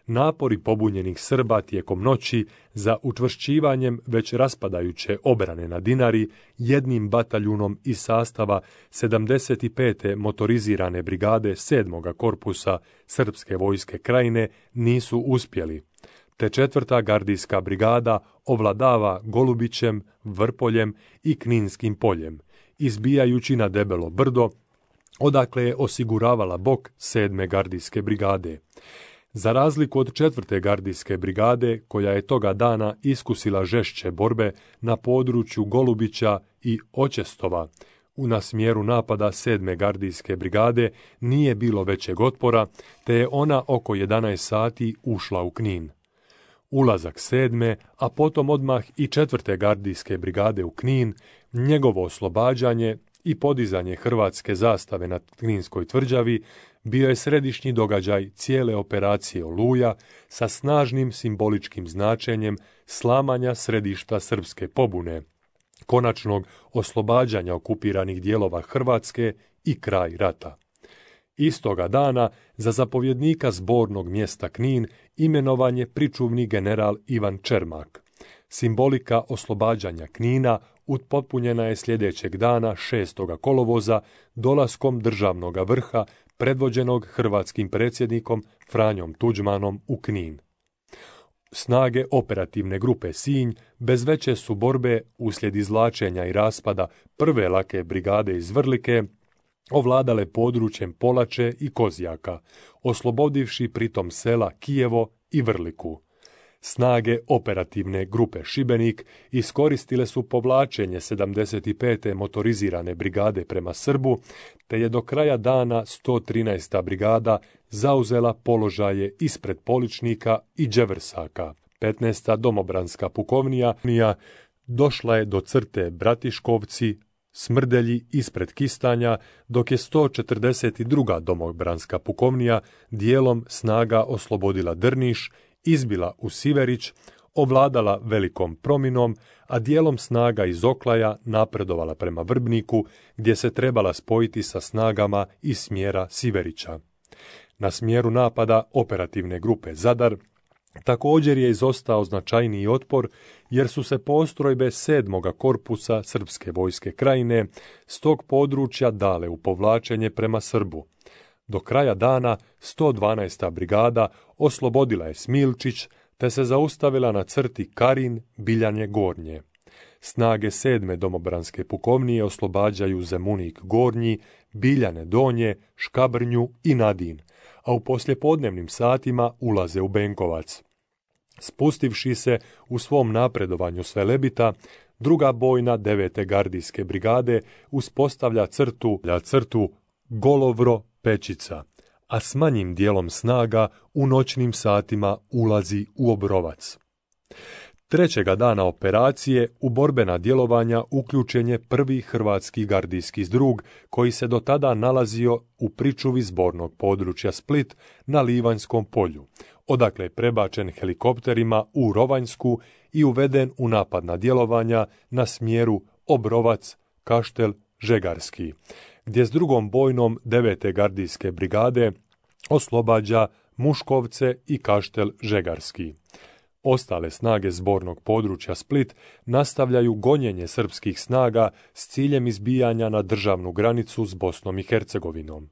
Napori pobunjenih Srba tijekom noći za učvršćivanjem već raspadajuće obrane na Dinari jednim bataljunom iz sastava 75. motorizirane brigade 7. korpusa Srpske vojske Krajine nisu uspjeli, te 4. gardijska brigada ovladava Golubićem, Vrpoljem i Kninskim poljem, izbijajući na Debelo brdo, odakle je osiguravala bok 7. gardijske brigade. Za razliku od 4. gardijske brigade, koja je toga dana iskusila žešće borbe na području Golubića i Očestova, na smjeru napada 7. gardijske brigade nije bilo većeg otpora, te je ona oko 11 sati ušla u Knin. Ulazak 7. a potom odmah i 4. gardijske brigade u Knin, njegovo oslobađanje i podizanje hrvatske zastave na Kninskoj tvrđavi bio je središnji događaj cijele operacije Oluja sa snažnim simboličkim značenjem slamanja središta srpske pobune, konačnog oslobađanja okupiranih dijelova Hrvatske i kraj rata. Istoga dana za zapovjednika zbornog mjesta Knin imenovan je pričuvni general Ivan Čermak. Simbolika oslobađanja Knina upotpunjena je sljedećeg dana 6. kolovoza dolaskom državnog vrha predvođenog hrvatskim predsjednikom Franjom Tuđmanom u Knin. Snage operativne grupe Sinj bez veće su borbe uslijed izvlačenja i raspada 1. lake brigade iz Vrlike ovladale područjem Polače i Kozjaka, oslobodivši pritom sela Kijevo i Vrliku. Snage operativne grupe Šibenik iskoristile su povlačenje 75. motorizirane brigade prema Srbu, te je do kraja dana 113. brigada zauzela položaje ispred Poličnika i Đevrsaka. 15. domobranska pukovnija došla je do crte Bratiškovci, Smrdelji ispred Kistanja, dok je 142. domobranska pukovnija dijelom snaga oslobodila Drniš, izbila u Siverić, ovladala Velikom Prominom, a dijelom snaga iz Oklaja napredovala prema Vrbniku, gdje se trebala spojiti sa snagama iz smjera Siverića. Na smjeru napada operativne grupe Zadar također je izostao značajniji otpor, jer su se postrojbe 7. korpusa Srpske vojske Krajine s tog područja dale u povlačenje prema Srbu. Do kraja dana 112. brigada oslobodila je Smilčić, te se zaustavila na crti Karin, Biljanje Gornje. Snage 7. domobranske pukovnije oslobađaju Zemunik Gornji, Biljane Donje, Škabrnju i Nadin, a u poslijepodnevnim satima ulaze u Benkovac. Spustivši se u svom napredovanju s Velebita, druga bojna 9. gardijske brigade uspostavlja crtu Golovro Pečica, a s manjim dijelom snaga u noćnim satima ulazi u Obrovac. Trećega dana operacije u borbena djelovanja uključen je prvi hrvatski gardijski zdrug koji se do tada nalazio u pričuvi zbornog područja Split na Livanjskom polju, odakle je prebačen helikopterima u Rovanjsku i uveden u napadna djelovanja na smjeru Obrovac, Kaštel, Žegarski, gdje s drugom bojnom 9. gardijske brigade oslobađa Muškovce i Kaštel Žegarski. Ostale snage zbornog područja Split nastavljaju gonjenje srpskih snaga s ciljem izbijanja na državnu granicu s Bosnom i Hercegovinom.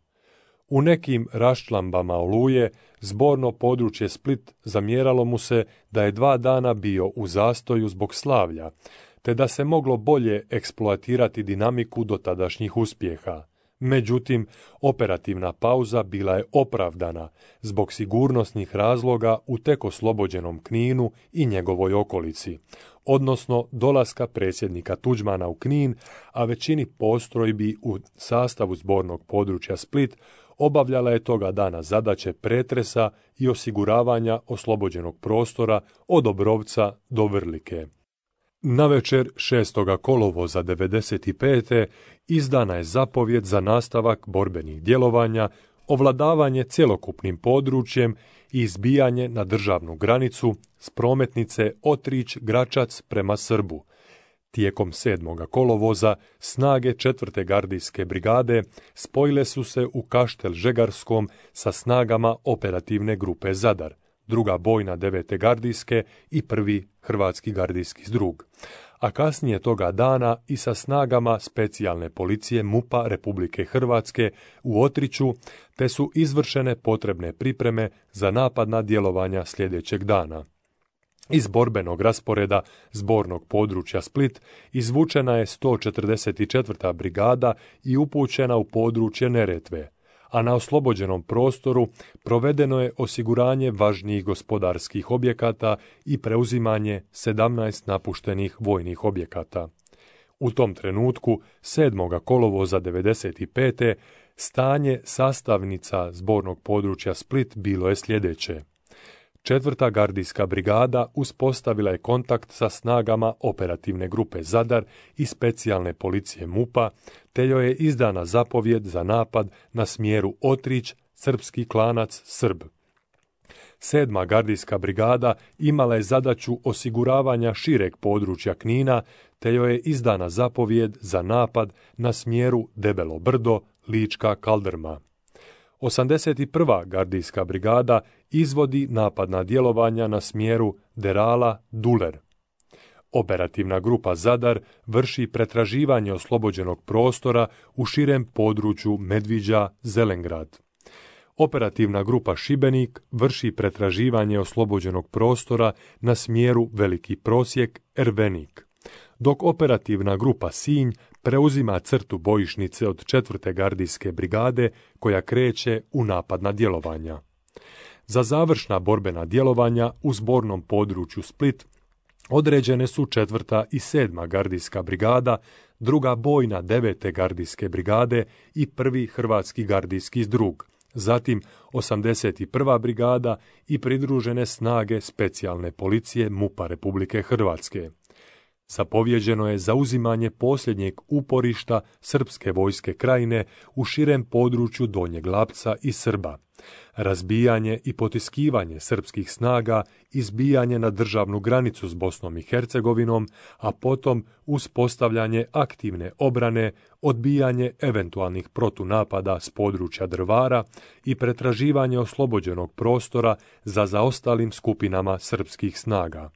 U nekim raščlambama Oluje zborno područje Split zamjeralo mu se da je 2 dana bio u zastoju zbog slavlja, te da se moglo bolje eksploatirati dinamiku dotadašnjih uspjeha. Međutim, operativna pauza bila je opravdana zbog sigurnosnih razloga u tek oslobođenom Kninu i njegovoj okolici, odnosno dolaska predsjednika Tuđmana u Knin, a većini postrojbi u sastavu zbornog područja Split obavljala je toga dana zadaće pretresa i osiguravanja oslobođenog prostora od Obrovca do Vrlike. Navečer 6. kolovoza 1995. izdana je zapovjed za nastavak borbenih djelovanja, ovladavanje cjelokupnim područjem i izbijanje na državnu granicu s prometnice Otrić-Gračac prema Srbu. Tijekom 7. kolovoza snage 4. gardijske brigade spojile su se u Kaštel Žegarskom sa snagama operativne grupe Zadar, druga bojna 9. gardijske i prvi hrvatski gardijski zdrug, a kasnije toga dana i sa snagama specijalne policije MUP-a Republike Hrvatske u Otriću, te su izvršene potrebne pripreme za napadna djelovanja sljedećeg dana. Iz borbenog rasporeda zbornog područja Split izvučena je 144. brigada i upućena u područje Neretve, a na oslobođenom prostoru provedeno je osiguranje važnijih gospodarskih objekata i preuzimanje 17 napuštenih vojnih objekata. U tom trenutku, 7. kolovoza 1995. stanje sastavnica zbornog područja Split bilo je sljedeće. 4. gardijska brigada uspostavila je kontakt sa snagama operativne grupe Zadar i specijalne policije MUP-a, te joj je izdana zapovjed za napad na smjeru Otrić, Srpski Klanac, Srb. 7. gardijska brigada imala je zadaću osiguravanja šireg područja Knina, te joj je izdana zapovjed za napad na smjeru Debelo Brdo, Lička Kaldrma. 81. gardijska brigada izvodi napadna djelovanja na smjeru Derala-Duler. Operativna grupa Zadar vrši pretraživanje oslobođenog prostora u širem području Medviđa-Zelengrad. Operativna grupa Šibenik vrši pretraživanje oslobođenog prostora na smjeru Veliki Prosjek, Ervenik, dok operativna grupa Sinj preuzima crtu bojišnice od 4. gardijske brigade koja kreće u napadna djelovanja. Za završna borbena djelovanja u zbornom području Split određene su 4. i 7. gardijska brigada, druga bojna 9. gardijske brigade i prvi hrvatski gardijski zdrug, zatim 81. brigada i pridružene snage specijalne policije MUP-a Republike Hrvatske. Zapovjeđeno je zauzimanje posljednjeg uporišta srpske vojske Krajine u širem području Donjeg Lapca i Srba, razbijanje i potiskivanje srpskih snaga, izbijanje na državnu granicu s Bosnom i Hercegovinom, a potom uspostavljanje aktivne obrane, odbijanje eventualnih protunapada s područja Drvara i pretraživanje oslobođenog prostora za zaostalim skupinama srpskih snaga.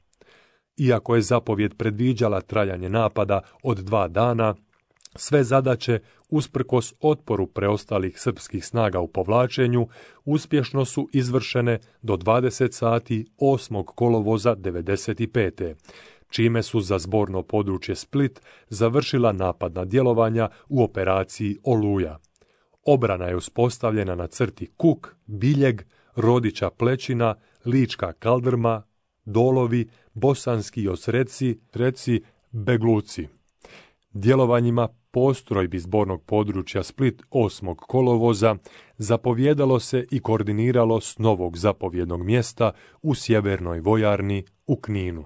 Iako je zapovjed predviđala trajanje napada od 2 dana, sve zadaće, usprkos otporu preostalih srpskih snaga u povlačenju, uspješno su izvršene do 20 sati 8. kolovoza 1995. čime su za zborno područje Split završila napadna djelovanja u operaciji Oluja. Obrana je uspostavljena na crti Kuk, Biljeg, Rodića Plećina, Lička Kaldrma, Dolovi, Bosanski Osreci, Begluci. Djelovanjima postrojbi zbornog područja Split 8. kolovoza zapovijedalo se i koordiniralo s novog zapovjednog mjesta u sjevernoj vojarni u Kninu.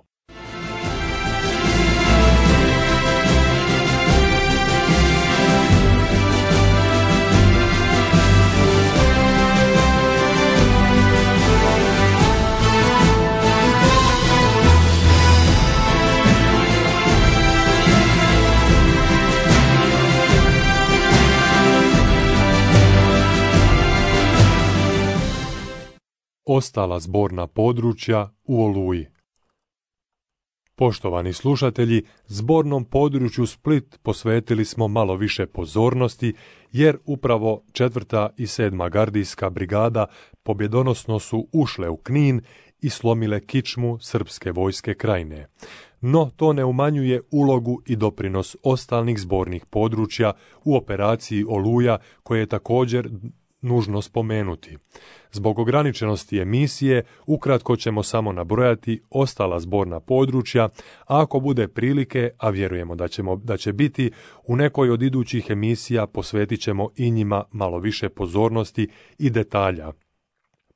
Ostala zborna područja u Oluji. Poštovani slušatelji, zbornom području Split posvetili smo malo više pozornosti, jer upravo 4. i 7. gardijska brigada pobjedonosno su ušle u Knin i slomile kičmu srpske vojske Krajine. No to ne umanjuje ulogu i doprinos ostalih zbornih područja u operaciji Oluja, koje je također nužno spomenuti. Zbog ograničenosti emisije, ukratko ćemo samo nabrojati ostala zborna područja, a ako bude prilike, a vjerujemo da će biti, u nekoj od idućih emisija posvetit ćemo i njima malo više pozornosti i detalja.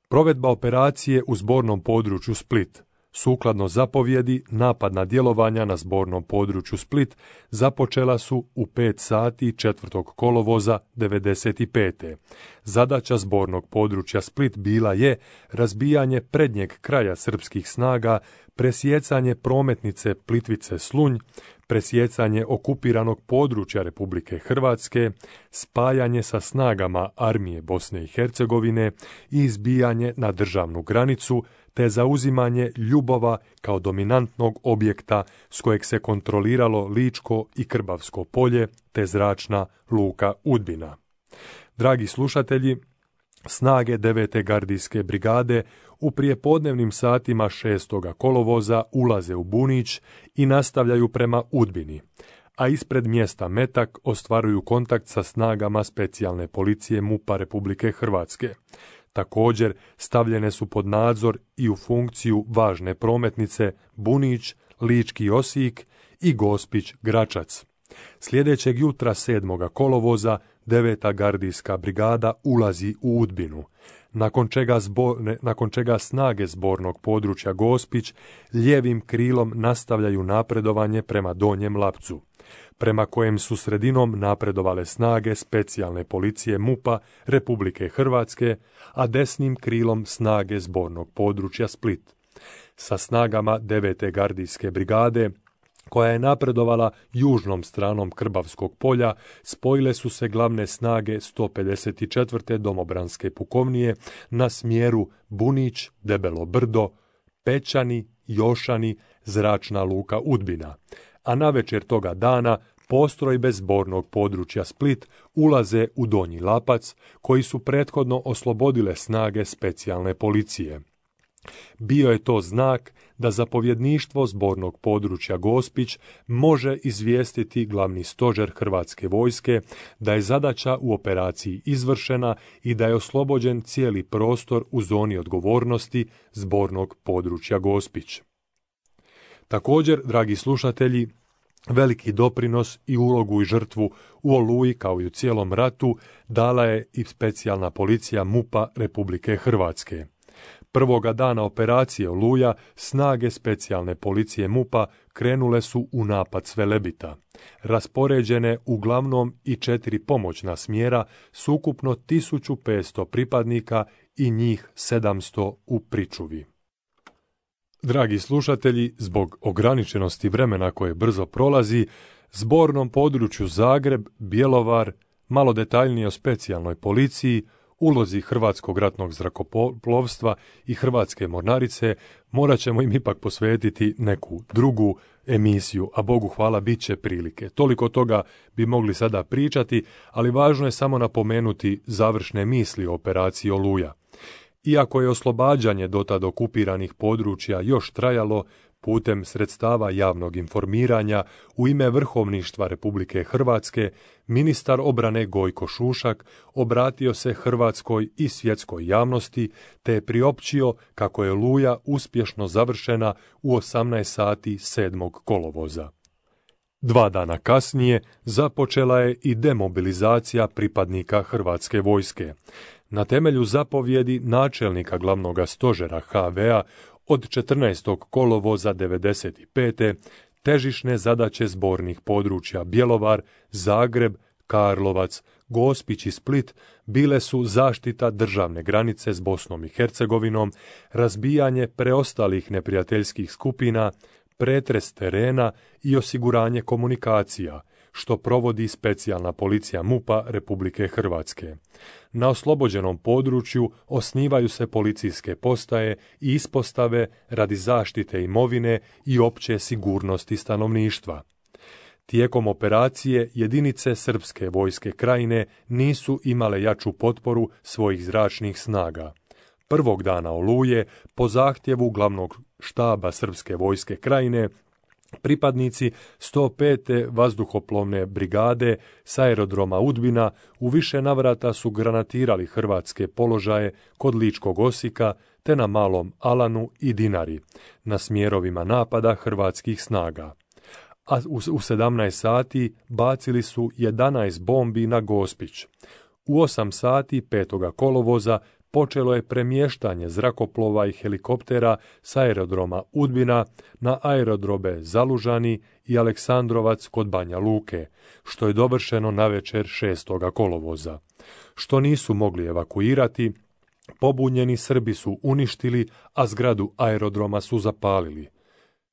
Provedba operacije u zbornom području Split. Sukladno zapovjedi, napadna djelovanja na zbornom području Split započela su u 5 sati 4. kolovoza 1995. Zadaća zbornog područja Split bila je razbijanje prednjeg kraja srpskih snaga, presjecanje prometnice Plitvice-Slunj, presjecanje okupiranog područja Republike Hrvatske, spajanje sa snagama armije Bosne i Hercegovine i izbijanje na državnu granicu, te zauzimanje Ljubova kao dominantnog objekta s kojeg se kontroliralo Ličko i Krbavsko polje, te zračna luka Udbina. Dragi slušatelji, snage 9. gardijske brigade u prijepodnevnim satima 6. kolovoza ulaze u Bunić i nastavljaju prema Udbini, a ispred mjesta Metak ostvaruju kontakt sa snagama specijalne policije MUP-a Republike Hrvatske. Također stavljene su pod nadzor i u funkciju važne prometnice Bunić, Lički Osijek i Gospić-Gračac. Sljedećeg jutra 7. kolovoza 9. gardijska brigada ulazi u Udbinu, nakon čega snage zbornog područja Gospić lijevim krilom nastavljaju napredovanje prema Donjem Lapcu, prema kojem su sredinom napredovale snage specijalne policije MUP-a Republike Hrvatske, a desnim krilom snage zbornog područja Split. Sa snagama 9. gardijske brigade, koja je napredovala južnom stranom Krbavskog polja, spojile su se glavne snage 154. domobranske pukovnije na smjeru Bunić, Debelo Brdo, Pećani, Jošani, zračna luka Udbina, a navečer toga dana postrojbe zbornog područja Split ulaze u Donji Lapac, koji su prethodno oslobodile snage specijalne policije. Bio je to znak da zapovjedništvo zbornog područja Gospić može izvijestiti glavni stožer Hrvatske vojske da je zadaća u operaciji izvršena i da je oslobođen cijeli prostor u zoni odgovornosti zbornog područja Gospić. Također, dragi slušatelji, veliki doprinos i ulogu i žrtvu u Oluji kao i u cijelom ratu dala je i specijalna policija MUP-a Republike Hrvatske. Prvoga dana operacije Oluja snage specijalne policije MUP-a krenule su u napad s Velebita, raspoređene uglavnom i 4 pomoćna smjera s ukupno 1500 pripadnika i njih 700 u pričuvi. Dragi slušatelji, zbog ograničenosti vremena koje brzo prolazi, zbornom području Zagreb, Bjelovar, malo detaljnije o specijalnoj policiji, ulozi Hrvatskog ratnog zrakoplovstva i Hrvatske mornarice, morat ćemo im ipak posvetiti neku drugu emisiju, a Bogu hvala bit će prilike. Toliko toga bi mogli sada pričati, ali važno je samo napomenuti završne misli o operaciji Oluja. Iako je oslobađanje dotad okupiranih područja još trajalo, putem sredstava javnog informiranja u ime Vrhovništva Republike Hrvatske, ministar obrane Gojko Šušak obratio se hrvatskoj i svjetskoj javnosti te je priopćio kako je Oluja uspješno završena u 18 sati 7. kolovoza. 2 dana kasnije započela je i demobilizacija pripadnika Hrvatske vojske. Na temelju zapovjedi načelnika glavnog stožera HV-a od 14. kolovoza 1995. težišne zadaće zbornih područja Bjelovar, Zagreb, Karlovac, Gospić i Split bile su zaštita državne granice s Bosnom i Hercegovinom, razbijanje preostalih neprijateljskih skupina, pretres terena i osiguranje komunikacija, što provodi specijalna policija MUP-a Republike Hrvatske. Na oslobođenom području osnivaju se policijske postaje i ispostave radi zaštite imovine i opće sigurnosti stanovništva. Tijekom operacije jedinice Srpske vojske Krajine nisu imale jaču potporu svojih zračnih snaga. Prvog dana Oluje, po zahtjevu glavnog štaba Srpske vojske Krajine, pripadnici 105. vazduhoplovne brigade s aerodroma Udbina u više navrata su granatirali hrvatske položaje kod Ličkog Osijeka te na Malom Alanu i Dinari, na smjerovima napada hrvatskih snaga. A u 17 sati bacili su 11 bombi na Gospić. U 8 sati 5. kolovoza počelo je premještanje zrakoplova i helikoptera s aerodroma Udbina na aerodrobe Zalužani i Aleksandrovac kod Banja Luke, što je dovršeno navečer 6. kolovoza. Što nisu mogli evakuirati, pobunjeni Srbi su uništili, a zgradu aerodroma su zapalili.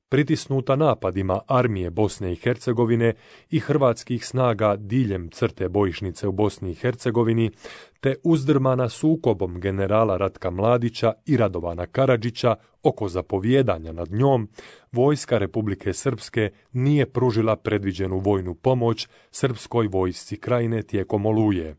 Pritisnuta napadima armije Bosne i Hercegovine i hrvatskih snaga diljem crte bojišnice u Bosni i Hercegovini, te uzdrmana sukobom generala Ratka Mladića i Radovana Karadžića oko zapovijedanja nad njom, vojska Republike Srpske nije pružila predviđenu vojnu pomoć Srpskoj vojsci Krajine tijekom Oluje.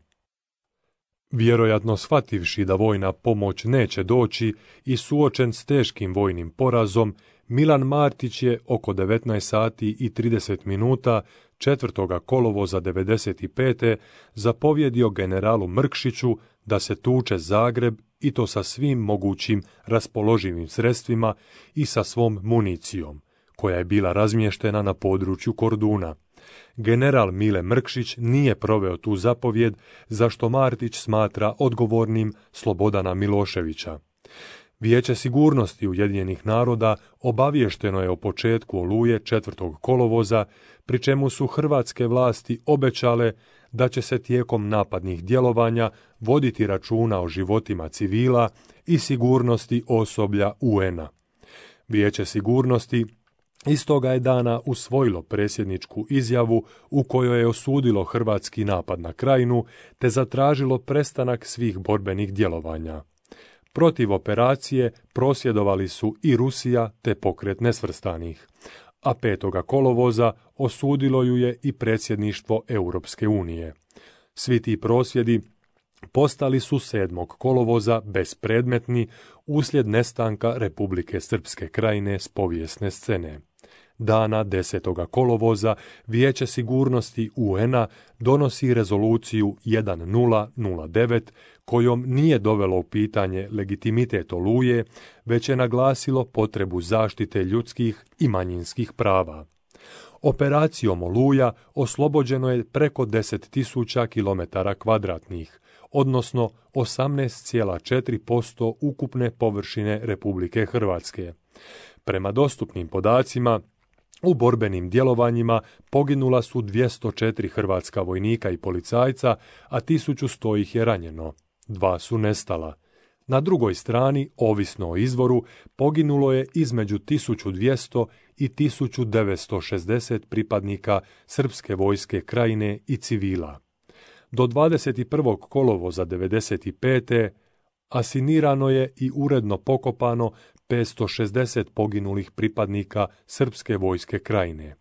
Vjerojatno shvativši da vojna pomoć neće doći i suočen s teškim vojnim porazom, Milan Martić je oko 19 sati i 30 minuta 4. kolovoza 1995. zapovjedio generalu Mrkšiću da se tuče Zagreb i to sa svim mogućim raspoloživim sredstvima i sa svom municijom, koja je bila razmještena na području Korduna. General Mile Mrkšić nije proveo tu zapovjed, za što Martić smatra odgovornim Slobodana Miloševića. Vijeće sigurnosti Ujedinjenih naroda obaviješteno je o početku Oluje 4. kolovoza, pri čemu su hrvatske vlasti obećale da će se tijekom napadnih djelovanja voditi računa o životima civila i sigurnosti osoblja UN-a. Vijeće sigurnosti istoga je dana usvojilo predsjedničku izjavu u kojoj je osudilo hrvatski napad na Krajinu te zatražilo prestanak svih borbenih djelovanja. Protiv operacije prosvjedovali su i Rusija te pokret nesvrstanih, a 5. kolovoza osudilo ju je i predsjedništvo Europske unije. Svi ti prosvjedi postali su 7. kolovoza bespredmetni uslijed nestanka Republike Srpske Krajine s povijesne scene. Dana 10. kolovoza Vijeće sigurnosti UN-a donosi rezoluciju 1009 kojom nije dovelo u pitanje legitimitet Oluje, već je naglasilo potrebu zaštite ljudskih i manjinskih prava. Operacijom Oluja oslobođeno je preko 10.000 km2, odnosno 18,4% ukupne površine Republike Hrvatske. Prema dostupnim podacima, u borbenim djelovanjima poginula su 204 hrvatska vojnika i policajca, a 1100 ih je ranjeno. 2 su nestala. Na drugoj strani, ovisno o izvoru, poginulo je između 1200 i 1960 pripadnika Srpske vojske Krajine i civila. Do 21. kolovoza 1995. asinirano je i uredno pokopano 560 poginulih pripadnika Srpske vojske Krajine.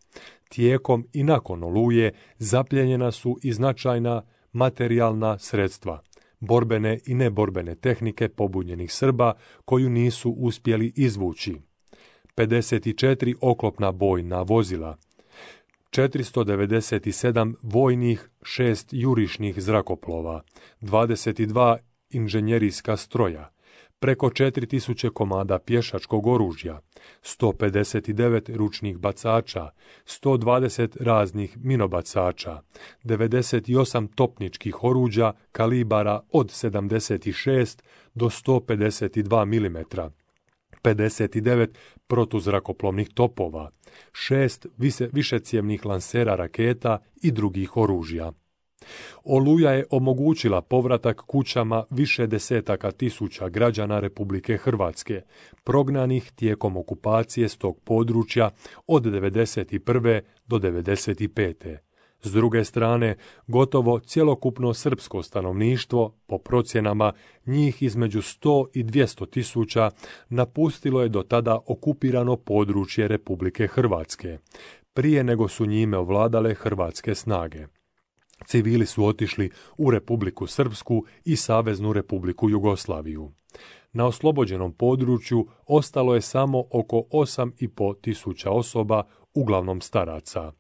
Tijekom i nakon Oluje zapljenjena su i značajna materijalna sredstva, borbene i neborbene tehnike pobunjenih Srba koju nisu uspjeli izvući. 54 oklopna bojna vozila, 497 vojnih, 6 jurišnih zrakoplova, 22 inženjerijska stroja, preko 4000 komada pješačkog oružja, 159 ručnih bacača, 120 raznih minobacača, 98 topničkih oruđa kalibara od 76 do 152 mm, 59 protuzrakoplovnih topova, 6 višecjevnih lansera raketa i drugih oružja. Oluja je omogućila povratak kućama više desetaka tisuća građana Republike Hrvatske, prognanih tijekom okupacije s tog područja od 1991. do 1995. S druge strane, gotovo cjelokupno srpsko stanovništvo, po procjenama njih između 100 i 200 tisuća, napustilo je do tada okupirano područje Republike Hrvatske, prije nego su njime ovladale hrvatske snage. Civili su otišli u Republiku Srpsku i Saveznu Republiku Jugoslaviju. Na oslobođenom području ostalo je samo oko 8,5 tisuća osoba, uglavnom staraca.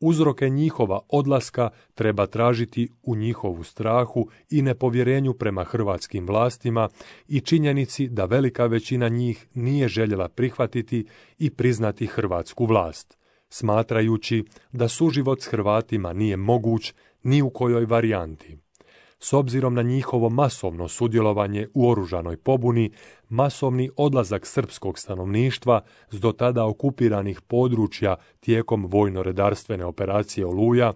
Uzroke njihova odlaska treba tražiti u njihovu strahu i nepovjerenju prema hrvatskim vlastima i činjenici da velika većina njih nije željela prihvatiti i priznati hrvatsku vlast, smatrajući da suživot s Hrvatima nije moguć ni u kojoj varijanti. S obzirom na njihovo masovno sudjelovanje u oružanoj pobuni, masovni odlazak srpskog stanovništva s do tada okupiranih područja tijekom vojno-redarstvene operacije Oluja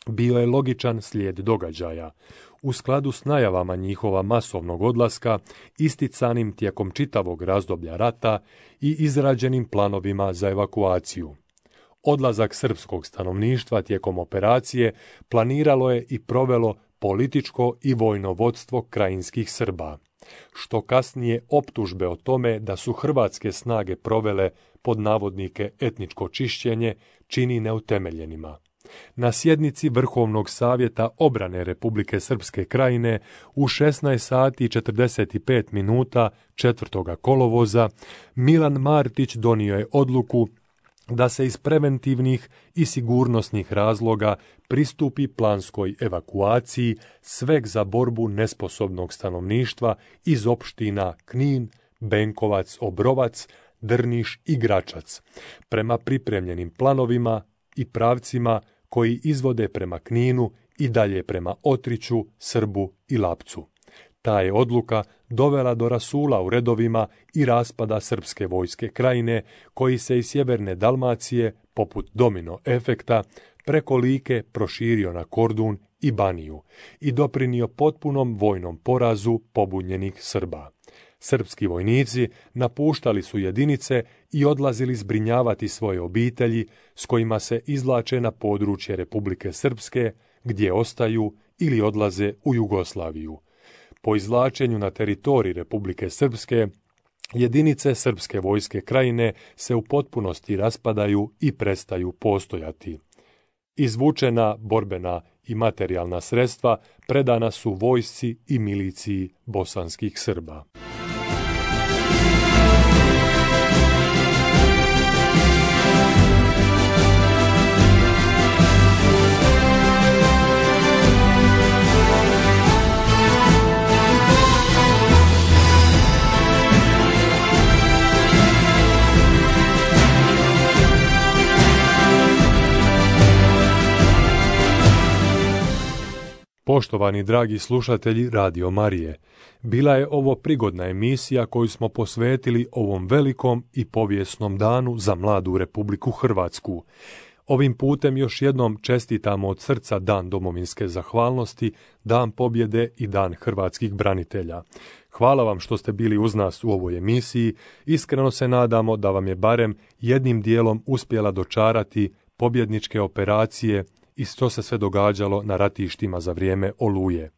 bio je logičan slijed događaja, u skladu s najavama njihova masovnog odlaska, isticanim tijekom čitavog razdoblja rata i izrađenim planovima za evakuaciju. Odlazak srpskog stanovništva tijekom operacije planiralo je i provelo političko i vojno vodstvo krajinskih Srba, što kasnije optužbe o tome da su hrvatske snage provele pod navodnike etničko čišćenje čini neutemeljenima. Na sjednici Vrhovnog savjeta obrane Republike Srpske krajine u 16 sati i 45 minuta 4. kolovoza Milan Martić donio je odluku da se iz preventivnih i sigurnosnih razloga pristupi planskoj evakuaciji sveg za borbu nesposobnog stanovništva iz opština Knin, Benkovac, Obrovac, Drniš i Gračac, prema pripremljenim planovima i pravcima koji izvode prema Kninu i dalje prema Otriću, Srbu i Lapcu. Ta je odluka dovela do rasula u redovima i raspada srpske vojske krajine, koji se iz sjeverne Dalmacije, poput domino efekta, preko Like proširio na Kordun i Baniju i doprinio potpunom vojnom porazu pobunjenih Srba. Srpski vojnici napuštali su jedinice i odlazili zbrinjavati svoje obitelji s kojima se izvlače na područje Republike Srpske, gdje ostaju ili odlaze u Jugoslaviju. Po izvlačenju na teritorij Republike Srpske, jedinice srpske vojske krajine se u potpunosti raspadaju i prestaju postojati. Izvučena borbena i materijalna sredstva predana su vojsci i miliciji bosanskih Srba. Poštovani dragi slušatelji Radio Marije, bila je ovo prigodna emisija koju smo posvetili ovom velikom i povijesnom danu za mladu Republiku Hrvatsku. Ovim putem još jednom čestitamo od srca Dan domovinske zahvalnosti, Dan pobjede i Dan hrvatskih branitelja. Hvala vam što ste bili uz nas u ovoj emisiji. Iskreno se nadamo da vam je barem jednim dijelom uspjela dočarati pobjedničke operacije i što se sve događalo na ratištima za vrijeme Oluje.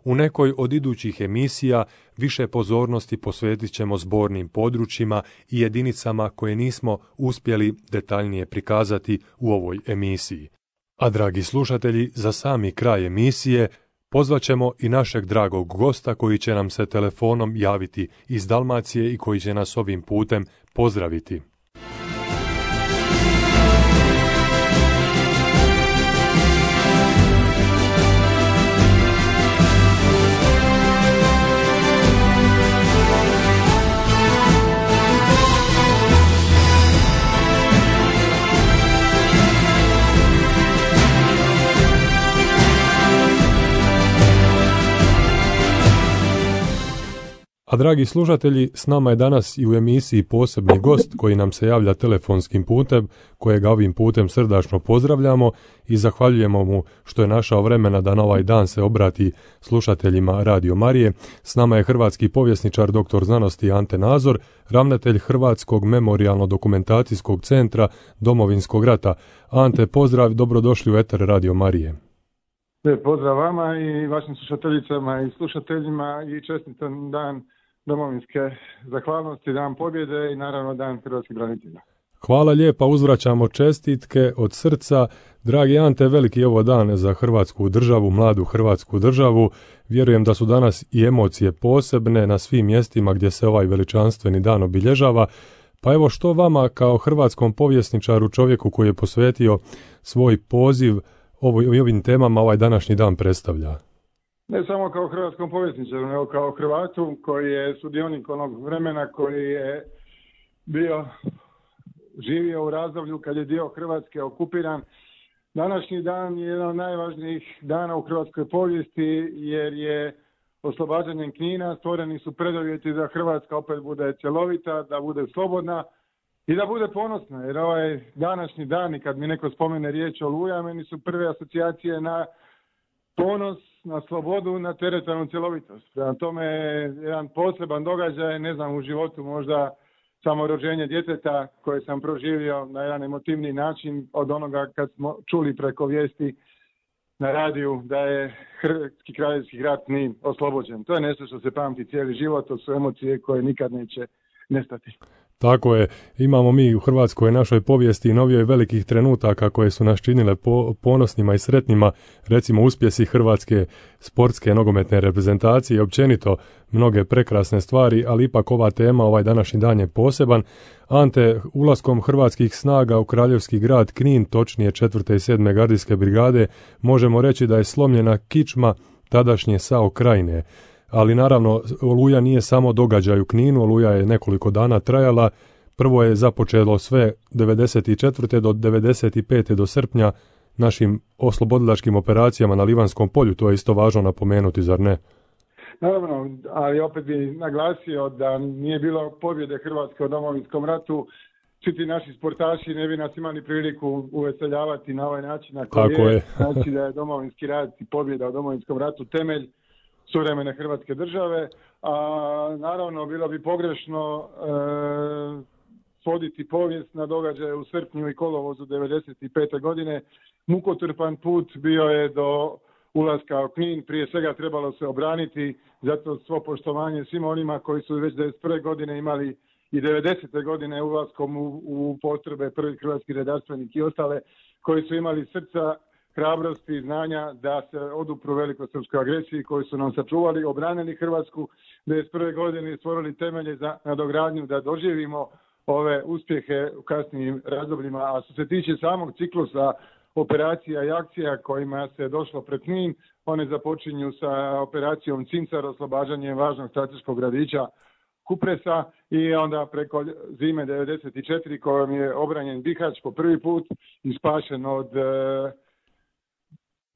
U nekoj od idućih emisija više pozornosti posvetit ćemo zbornim područjima i jedinicama koje nismo uspjeli detaljnije prikazati u ovoj emisiji. A dragi slušatelji, za sami kraj emisije pozvat ćemo i našeg dragog gosta koji će nam se telefonom javiti iz Dalmacije i koji će nas ovim putem pozdraviti. A dragi slušatelji, s nama je danas i u emisiji posebni gost koji nam se javlja telefonskim putem, kojega ovim putem srdačno pozdravljamo i zahvaljujemo mu što je našao vremena da na ovaj dan se obrati slušateljima Radio Marije. S nama je hrvatski povjesničar dr. znanosti Ante Nazor, ravnatelj Hrvatskog memorijalno-dokumentacijskog centra Domovinskog rata. Ante, pozdrav, dobrodošli u eter Radio Marije. Pozdrav vama i vašim slušateljicama i slušateljima i čestitan dan domovinske zahvalnosti, dan pobjede i naravno dan hrvatskih branitelja. Hvala lijepa, uzvraćamo čestitke od srca. Dragi Ante, veliki je ovo dan za Hrvatsku državu, mladu Hrvatsku državu. Vjerujem da su danas i emocije posebne na svim mjestima gdje se ovaj veličanstveni dan obilježava. Pa evo, što vama kao hrvatskom povjesničaru, čovjeku koji je posvetio svoj poziv ovim temama ovaj današnji dan predstavlja? Ne samo kao hrvatskom povjesničaru, nego kao Hrvatu koji je sudionik onog vremena koji je živio u razdoblju kad je dio Hrvatske okupiran. Današnji dan je jedan od najvažnijih dana u hrvatskoj povijesti jer je oslobađanjem Knina stvoreni su preduvjeti da Hrvatska opet bude cjelovita, da bude slobodna i da bude ponosna, jer ovaj današnji dan i kad mi neko spomene riječ Oluja, meni su prve asocijacije na ponos, na slobodu, na teritorijalnu cjelovitost. Prema tome jedan poseban događaj, ne znam, u životu možda samo rođenje djeteta koje sam proživio na jedan emotivni način od onoga kad smo čuli preko vijesti na radiju da je Hrvatski kraljevski rat nije oslobođen. To je nešto što se pamti cijeli život, to su emocije koje nikad neće nestati. Tako je, imamo mi u Hrvatskoj našoj povijesti i novijoj velikih trenutaka koje su nas činile ponosnima i sretnima, recimo uspjesi hrvatske sportske nogometne reprezentacije i općenito mnoge prekrasne stvari, ali ipak ova tema, ovaj današnji dan je poseban. Ante, ulaskom hrvatskih snaga u kraljevski grad Knin, točnije 4. i 7. gardijske brigade, možemo reći da je slomljena kičma tadašnje SAO Krajine. Ali naravno, Oluja nije samo događaj u Kninu, Oluja je nekoliko dana trajala. Prvo je započelo sve 94. do 95. do srpnja našim oslobodilačkim operacijama na Livanskom polju, to je isto važno napomenuti, zar ne? Naravno, ali opet bi naglasio da nije bilo pobjede Hrvatske u Domovinskom ratu, svi ti naši sportaši ne bi nas imali priliku uveseljavati na ovaj način na koji je. Znači da je Domovinski rat i pobjeda u Domovinskom ratu temelj suvremene Hrvatske države, a naravno bilo bi pogrešno svoditi povijest na događaje u srpnju i kolovozu 95. godine. Mukotrpan put bio je do ulaska u Knin, prije svega trebalo se obraniti, zato svo poštovanje svim onima koji su već 91. godine imali i 90. godine ulaskom u postrojbe prvi hrvatski redarstvenik i ostale koji su imali srca, hrabrosti i znanja da se odupru velikosrpskoj agresiji koji su nam sačuvali, obranili Hrvatsku 1991. godine i stvorili temelje za nadogradnju da doživimo ove uspjehe u kasnijim razdobljima. A što se tiče samog ciklusa operacija i akcija kojima se došlo pred Knin, one započinju sa operacijom Cincar, oslobađanjem važnog strateškog gradića Kupresa i onda preko zime 94. kojom je obranjen Bihać po prvi put i spašen od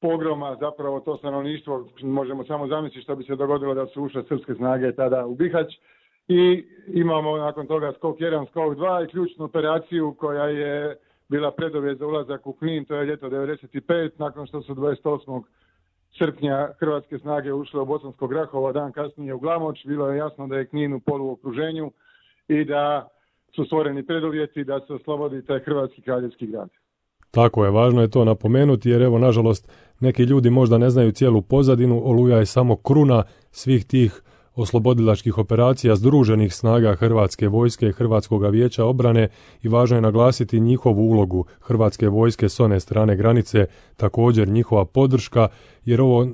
pogroma, zapravo to stanovništvo, možemo samo zamisliti što bi se dogodilo da su ušle srpske snage tada u Bihać. I imamo nakon toga skok 1, skok 2 i ključnu operaciju koja je bila preduvjet za ulazak u Knin, to je ljeto 95, nakon što su 28. srpnja hrvatske snage ušle u Bosansko Grahovo, dan kasnije u Glamoč, bilo je jasno da je Knin u poluokruženju i da su stvoreni preduvjeti da se oslobodi taj hrvatski kraljevski grad. Tako je, važno je to napomenuti jer evo, nažalost, neki ljudi možda ne znaju cijelu pozadinu. Oluja je samo kruna svih tih oslobodilačkih operacija združenih snaga Hrvatske vojske i Hrvatskog vijeća obrane i važno je naglasiti njihovu ulogu Hrvatske vojske s one strane granice, također njihova podrška, jer ovo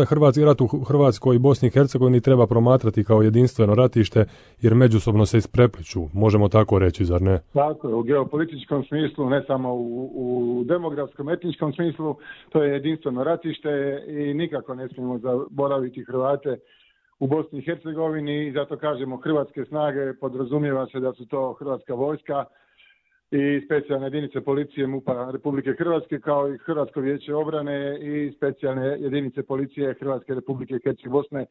Hrvatski rat u Hrvatskoj i Bosni i Hercegovini treba promatrati kao jedinstveno ratište jer međusobno se isprepliću, možemo tako reći, zar ne? Tako je, u geopolitičkom smislu, ne samo u demografskom, etničkom smislu, to je jedinstveno ratište i nikako ne smijemo zaboraviti Hrvate u Bosni i Hercegovini i zato kažemo hrvatske snage, podrazumijeva se da su to Hrvatska vojska i specijalne jedinice policije MUP-a Republike Hrvatske kao i Hrvatsko vijeće obrane i specijalne jedinice policije Hrvatske Republike Hercegovine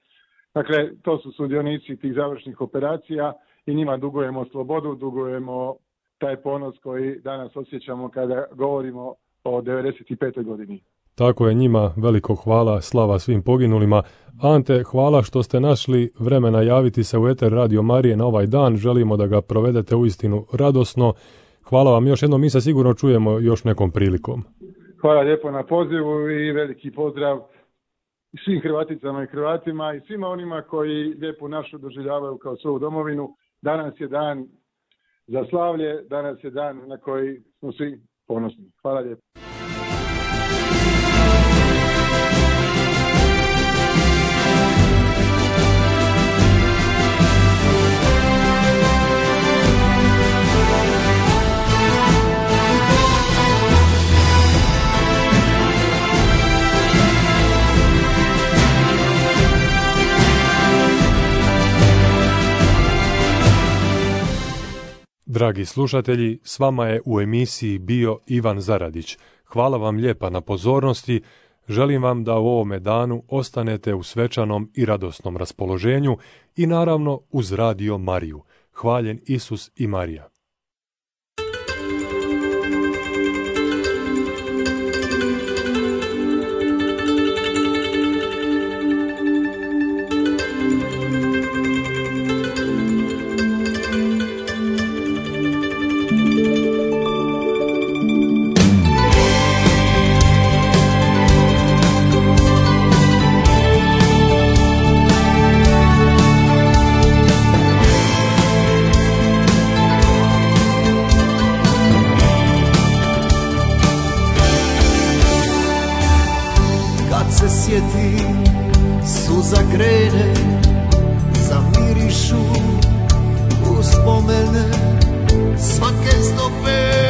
Dakle, to su sudionici tih završnih operacija i njima dugujemo slobodu, dugujemo taj ponos koji danas osjećamo kada govorimo o 95. godini. Tako je, njima veliko hvala, slava svim poginulima. Ante, hvala što ste našli vremena javiti se u eter Radio Marije na ovaj dan. Želimo da ga provedete uistinu radosno. Hvala vam još jednom, mi se sigurno čujemo još nekom prilikom. Hvala lijepo na pozivu i veliki pozdrav svim Hrvaticama i Hrvatima i svima onima koji lijepu našu doživljavaju kao svoju domovinu. Danas je dan za slavlje, danas je dan na koji smo svi ponosni. Hvala lijepo. Dragi slušatelji, s vama je u emisiji bio Ivan Zaradić. Hvala vam lijepa na pozornosti. Želim vam da u ovome danu ostanete u svečanom i radosnom raspoloženju i naravno uz Radio Mariju. Hvaljen Isus i Marija. Sjetim, suza krene, zamirišu uspomene svake stope.